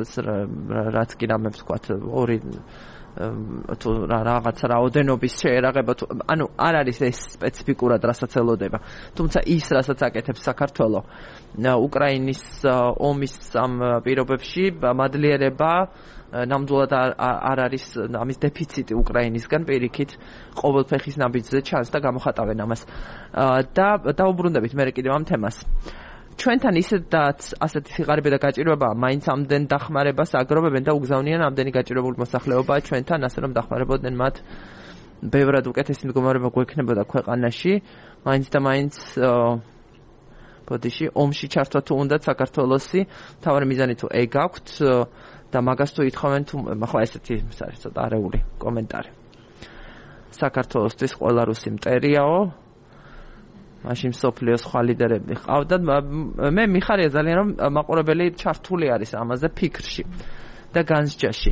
რაც კი რამე ვთქვათ ორი თუ რაღაც რაოდენობის შეერაღება თუ ანუ არ არის ეს სპეციფიკურად რასაც ელოდება. თუმცა ის რასაც აკეთებს საქართველო უკრაინის ომის ამ პირობებში მადლიერება ნამდვილად არ არის ამის დეფიციტი უკრაინისგან პირიქით ყოველ ფეხის ნაბიჯზე ჩანს და გამოხატავენ ამას. და დაუბრუნდებით მე კიდევ ამ თემას. ჩვენთან ისედაც ასეთი სიღარიბე და გაჭირვებაა, მაინც ამდენ დახმარებას აგროვებენ და უგზავნიან ამდენი გაჭირვებული მოსახლეობაა ჩვენთან, ასე რომ დახმარებოდნენ მათ ბევრად უკეთესი მდგომარეობა გვექნებოდა ქვეყანაში, მაინც და მაინც ბოდიში ომში ჩართვა თუ უნდათ საქართველოსი, თავარი მიზანი თუ ეგ აქვთ და მაგას თუ ითხოვენ თუ ხო ესეთი არის ცოტა არეული კომენტარი. საქართველოსთვის ყველა რუსი მტერიაო მაშინ სოფლიოს სხვა ლიდერები ყავდათ. მე მიხარია ძალიან რომ მაყურებელი ჩართული არის ამაზე ფიქრში და განსჯაში.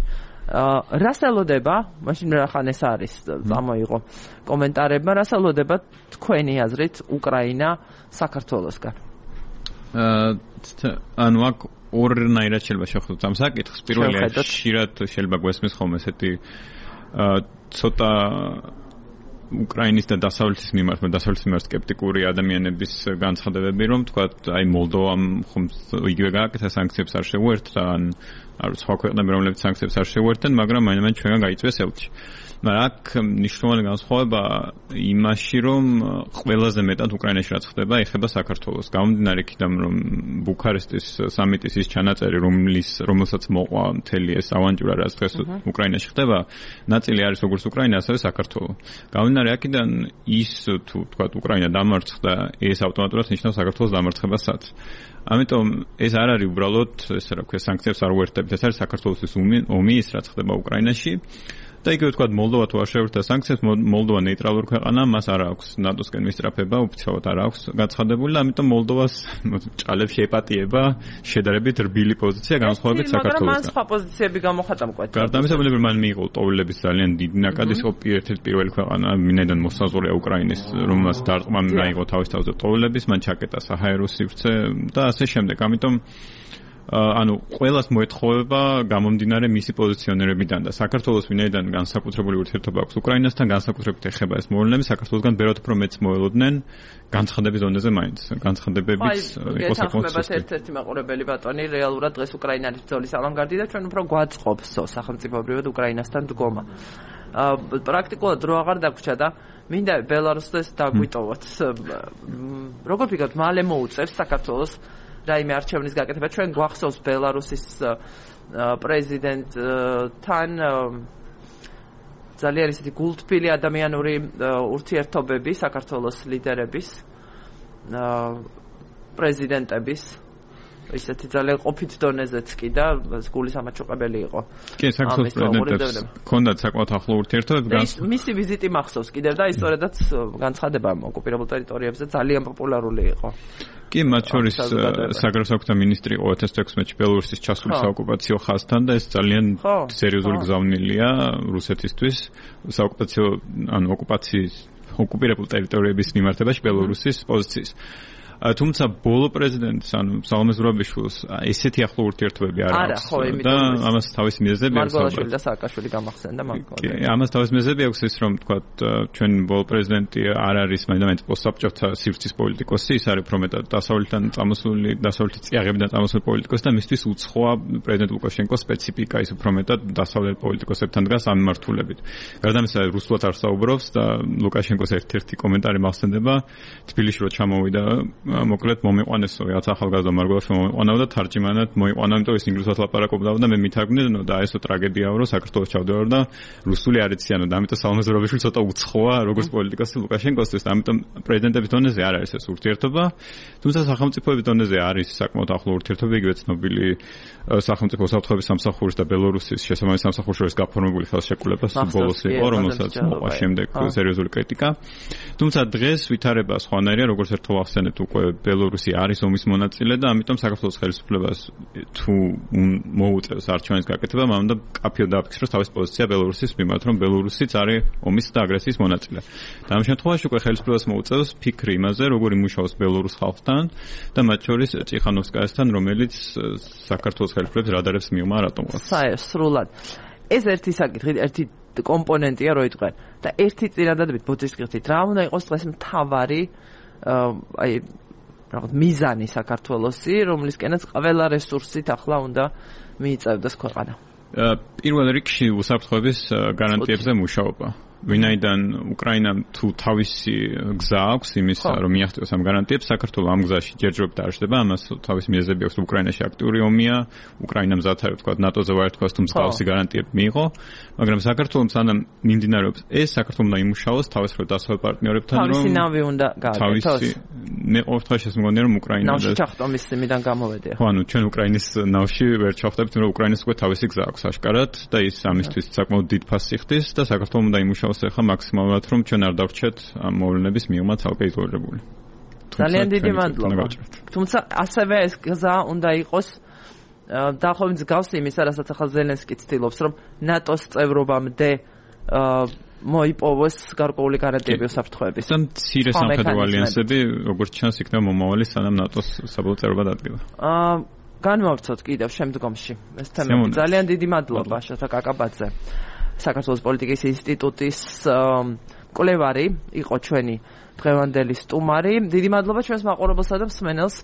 რას ელოდება, მაშინ რახან ეს არის წამოიღო კომენტარებმა, რას ელოდება თქვენი აზრით უკრაინა საქართველოსგან? ანუ აქ ორნაირად შეიძლება შევხვდეთ ამ საკითხს. პირველი ხშირად შეიძლება გვესმის ხოლმე ესეთი ცოტა უკრაინის და დასავლეთის მიმართ, დასავლეთის მიმართ სკეპტიკური ადამიანების განცხადებები, რომ თქვათ, აი მოლდოვამ ხომ იგივე გააკეთა სანქციებს არ შეუერთდა, ან არ სხვა ქვეყნები რომლებიც სანქციებს არ შეუერთდნენ, მაგრამ მაინც ჩვენგან გაიწვიეს ელჩი. მაგრამ აქ მნიშვნელოვანი განსხვავება იმაში, რომ ყველაზე მეტად უკრაინაში რაც ხდება, ეხება საქართველოს. გამომდინარე იქიდან, რომ ბუქარესტის სამიტის ის ჩანაწერი, რომლის რომელსაც მოყვა მთელი ეს ავანტიურა, რაც დღეს უკრაინაში ხდება, ნაწილი არის როგორც უკრაინა, ასევე საქართველო. გამომდინარე აქედან ის თუ თქვათ უკრაინა დამარცხდა, ეს ავტომატურად ნიშნავს საქართველოს დამარცხებასაც. ამიტომ ეს არ არის უბრალოდ ესე რა ქვია სანქციებს არ უერთდებით, ეს არის საქართველოსთვის ომი, ის რაც ხდება უკრაინაში. და იგივე თქვათ მოლდოვა თუ არ შეერთდა სანქციებს, მოლდოვა ნეიტრალური ქვეყანა, მას არ აქვს ნატოსკენ მისწრაფება, ოფიციალურად არ აქვს გაცხადებული, ამიტომ მოლდოვას ჭალებს შეეპატიება შედარებით რბილი პოზიცია განსხვავებით საქართველოსთან. მაგრამ მან სხვა პოზიციები გამოხატა მკვეთრად. გარდა ამისა, მან მიიღო ტოვლების ძალიან დიდი ნაკადი, ის იყო ერთ-ერთი პირველი ქვეყანა, მინედან მოსაზღვრეა უკრაინის, რომელსაც დარტყმა მიიღო თავის თავზე ტოვლების, მან ჩაკეტა საჰაერო სივრცე და ასე შემდეგ. ამიტომ ანუ ყველას მოეთხოვება გამომდინარე მისი პოზიციონერებიდან და საქართველოს ვინაიდან განსაკუთრებული ურთიერთობა აქვს უკრაინასთან, განსაკუთრებით ეხება ეს მოვლენები, საქართველოსგან ბევრად უფრო მეც მოელოდნენ განცხადების ზონაზე მაინც. განცხადებებიც იყო საკმაოდ სუსტი. ერთ-ერთი მაყურებელი ბატონი რეალურად დღეს უკრაინალის ბრძოლის ავანგარდი და ჩვენ უფრო გვაწყობს სახელმწიფოებრივად უკრაინასთან დგომა. პრაქტიკულად რო აღარ დაგვრჩა და მინდა ბელარუსს დაგვიტოვოთ. როგორ ფიქრობთ, მალე მოუწევს საქართველოს რაიმე არჩევნის გაკეთება? ჩვენ გვახსოვს ბელარუსის პრეზიდენტთან ძალიან ისეთი გულთბილი ადამიანური ურთიერთობები საქართველოს ლიდერების პრეზიდენტების ისეთი ძალიან ყოფით დონეზეც კი და გულის ამაჩუყებელი იყო. კი, საქართველოს პრეზიდენტებს ჰქონდათ საკმაოდ ახლო ურთიერთობები. მისი ვიზიტი მახსოვს კიდევ და ისტორიადაც განცხადება ოკუპირებულ ტერიტორიებზე ძალიან პოპულარული იყო. კი, მათ შორის საგარეო საქმეთა მინისტრი იყო ორი ათას ექვსმეტში ბელორუსის ჩასული საოკუპაციო ხაზთან და ეს ძალიან სერიოზული გზავნილია რუსეთისთვის საოკუპაციო ან ოკუპაციის ოკუპირებულ ტერიტორიების მიმართებაში ბელორუსის პოზიციის. თუმცა ბოლო პრეზიდენტს ანუ სალომე ზურაბიშვილს ესეთი ახლო ურთიერთობები არ აქვს და ამას თავისი მიზეზები აქვს. მარგველაშვილი და სააკაშვილი გამახსენდა მაგალითად. კი, ამას თავისი მიზეზები აქვს ის რომ თქვა ჩვენ ბოლო პრეზიდენტი არ არის მაინც პოსტსაბჭოთა სივრცის პოლიტიკოსი, ის არის უფრო მეტად დასავლეთიდან წამოსული, დასავლეთის წიაღებიდან წამოსული პოლიტიკოსი და მისთვის უცხოა პრეზიდენტ ლუკაშენკოს სპეციფიკა ის უფრო მეტად დასავლეთ პოლიტიკოსებთან დგას ამ მიმართულებით. გარდა ამისა რუსულად არ საუბრობს და ლუკაშენკოს ერთ-ერთი კომენტარი მახსენდება თბილისში რო ჩამოვიდა მოკლედ მომიყვანესო რაც ახალგაზრდა მარგველაშვილი მომიყვანაო და თარჯიმანად მოიყვანა, იმიტომ ის ინგლისურად ლაპარაკობდა და მე მითარგმნე და ესო ტრაგედიაა რომ საქართველოს ჩავდივარ და რუსული არ იციანო და ამიტომ სალომე ზურაბიშვილი ცოტა უცხოა როგორც პოლიტიკოსი ლუკაშენკოსთვის და ამიტომ პრეზიდენტების დონეზე არ არის ეს ურთიერთობა. თუმცა სახელმწიფოების დონეზე არის საკმაოდ ახლო ურთიერთობა, იგივე ცნობილი სახელმწიფო უსაფრთხოების სამსახურის და ბელორუსის შესაბამისი სამსახურის შორის გაფორმებული ხელშეკრულება ბოლოს იყო, რომელსაც მოყვა შემდეგ სერიოზული კრიტიკა. თუმცა დღეს ვითარება სხვანაირია, როგორც ერთხელ ახსენეთ უკვე ბელორუსი არის ომის მონაწილე და ამიტომ საქართველოს ხელისუფლებას თუ მოუწევს არჩევანის გაკეთება, მან უნდა კაფეო დააფიქსიროს თავის პოზიცია ბელორუსის მიმართ, რომ ბელორუსიც არის ომის და აგრესიის მონაწილე. და ამ შემთხვევაში უკვე ხელისუფლებას მოუწევს ფიქრი იმაზე, როგორ იმუშაოს ბელორუს ხალხთან და მათ შორის წიხანოვსკაიასთან, რომელიც საქართველოს ხელისუფლების რადარებს მიუმა რატომღაც. საერთოდ ეს ერთი საკითხი, ერთი კომპონენტია რო იტყვენ და ერთი წინადადებით ბოდიშკრიფტით რა უნდა იყოს დღეს მთავარი აი რაღაც მიზანი საქართველოსი, რომლისკენაც ყველა რესურსით ახლა უნდა მიიწევდეს ქვეყანა. პირველ რიგში უსაფრთხოების გარანტიებზე მუშაობა. ვინაიდან უკრაინამ თუ თავისი გზა აქვს იმის რომ მიაღწიოს ამ გარანტიებს, საქართველოს ამ გზაში ჯერჯერობით არ შდება, ამას თავისი მიზეზები აქვს, უკრაინაში აქტიური ომია, უკრაინამ ზათარ თქვა ნატოზე ვარ თქვა თუ მსგავსი გარანტიები მიიღო, მაგრამ საქართველოს სანამ მიმდინარეობს ეს, საქართველოს უნდა იმუშაოს თავისუფლ დასავლეთ პარტნიორებთან, რომ თავისი ნავი უნდა გააკეთოს. მე ყოველთვის შესმოგონია რომ უკრაინა ნავში ჩახტომის სიმიდან გამოვედია. ხო, ანუ ჩვენ უკრაინის ნავში ვერ ჩავხდებით, რომ უკრაინას უკვე თავისი გზა აქვს აშკარად და ის ამისთვის საკმაოდ დიდ ფასს იხდის და საქართველოს უნდა იმუშაოს ახლა მაქსიმალურად რომ ჩვენ არ დავრჩეთ ამ მოვლენების მიღმა ცალკე იზოლირებული. ძალიან დიდი მადლობა. თუმცა ასევე ეს გზა უნდა იყოს დაახლოებით მსგავსი იმისა, რასაც ახლა ზელენსკი ცდილობს, რომ ნატოს წევრობამდე მოიპოვოს გარკვეული გარანტიები უსაფრთხოების. და მცირე სამხედრო ალიანსები, როგორც ჩანს, იქნება მომავალი სანამ ნატოს საბოლოო წევრობა დადგება. აა განმოვცოთ კიდევ შემდგომში ეს თემები. ძალიან დიდი მადლობა შოთა კაკაბაძე. საქართველოს პოლიტიკის ინსტიტუტის კვლევარი იყო ჩვენი დღევანდელი სტუმარი. დიდი მადლობა ჩვენს მაყურებელსა და მსმენელს.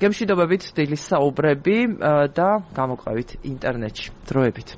გემშვიდობებით დილის საუბრები და გამოყვებით ინტერნეტში. დროებით.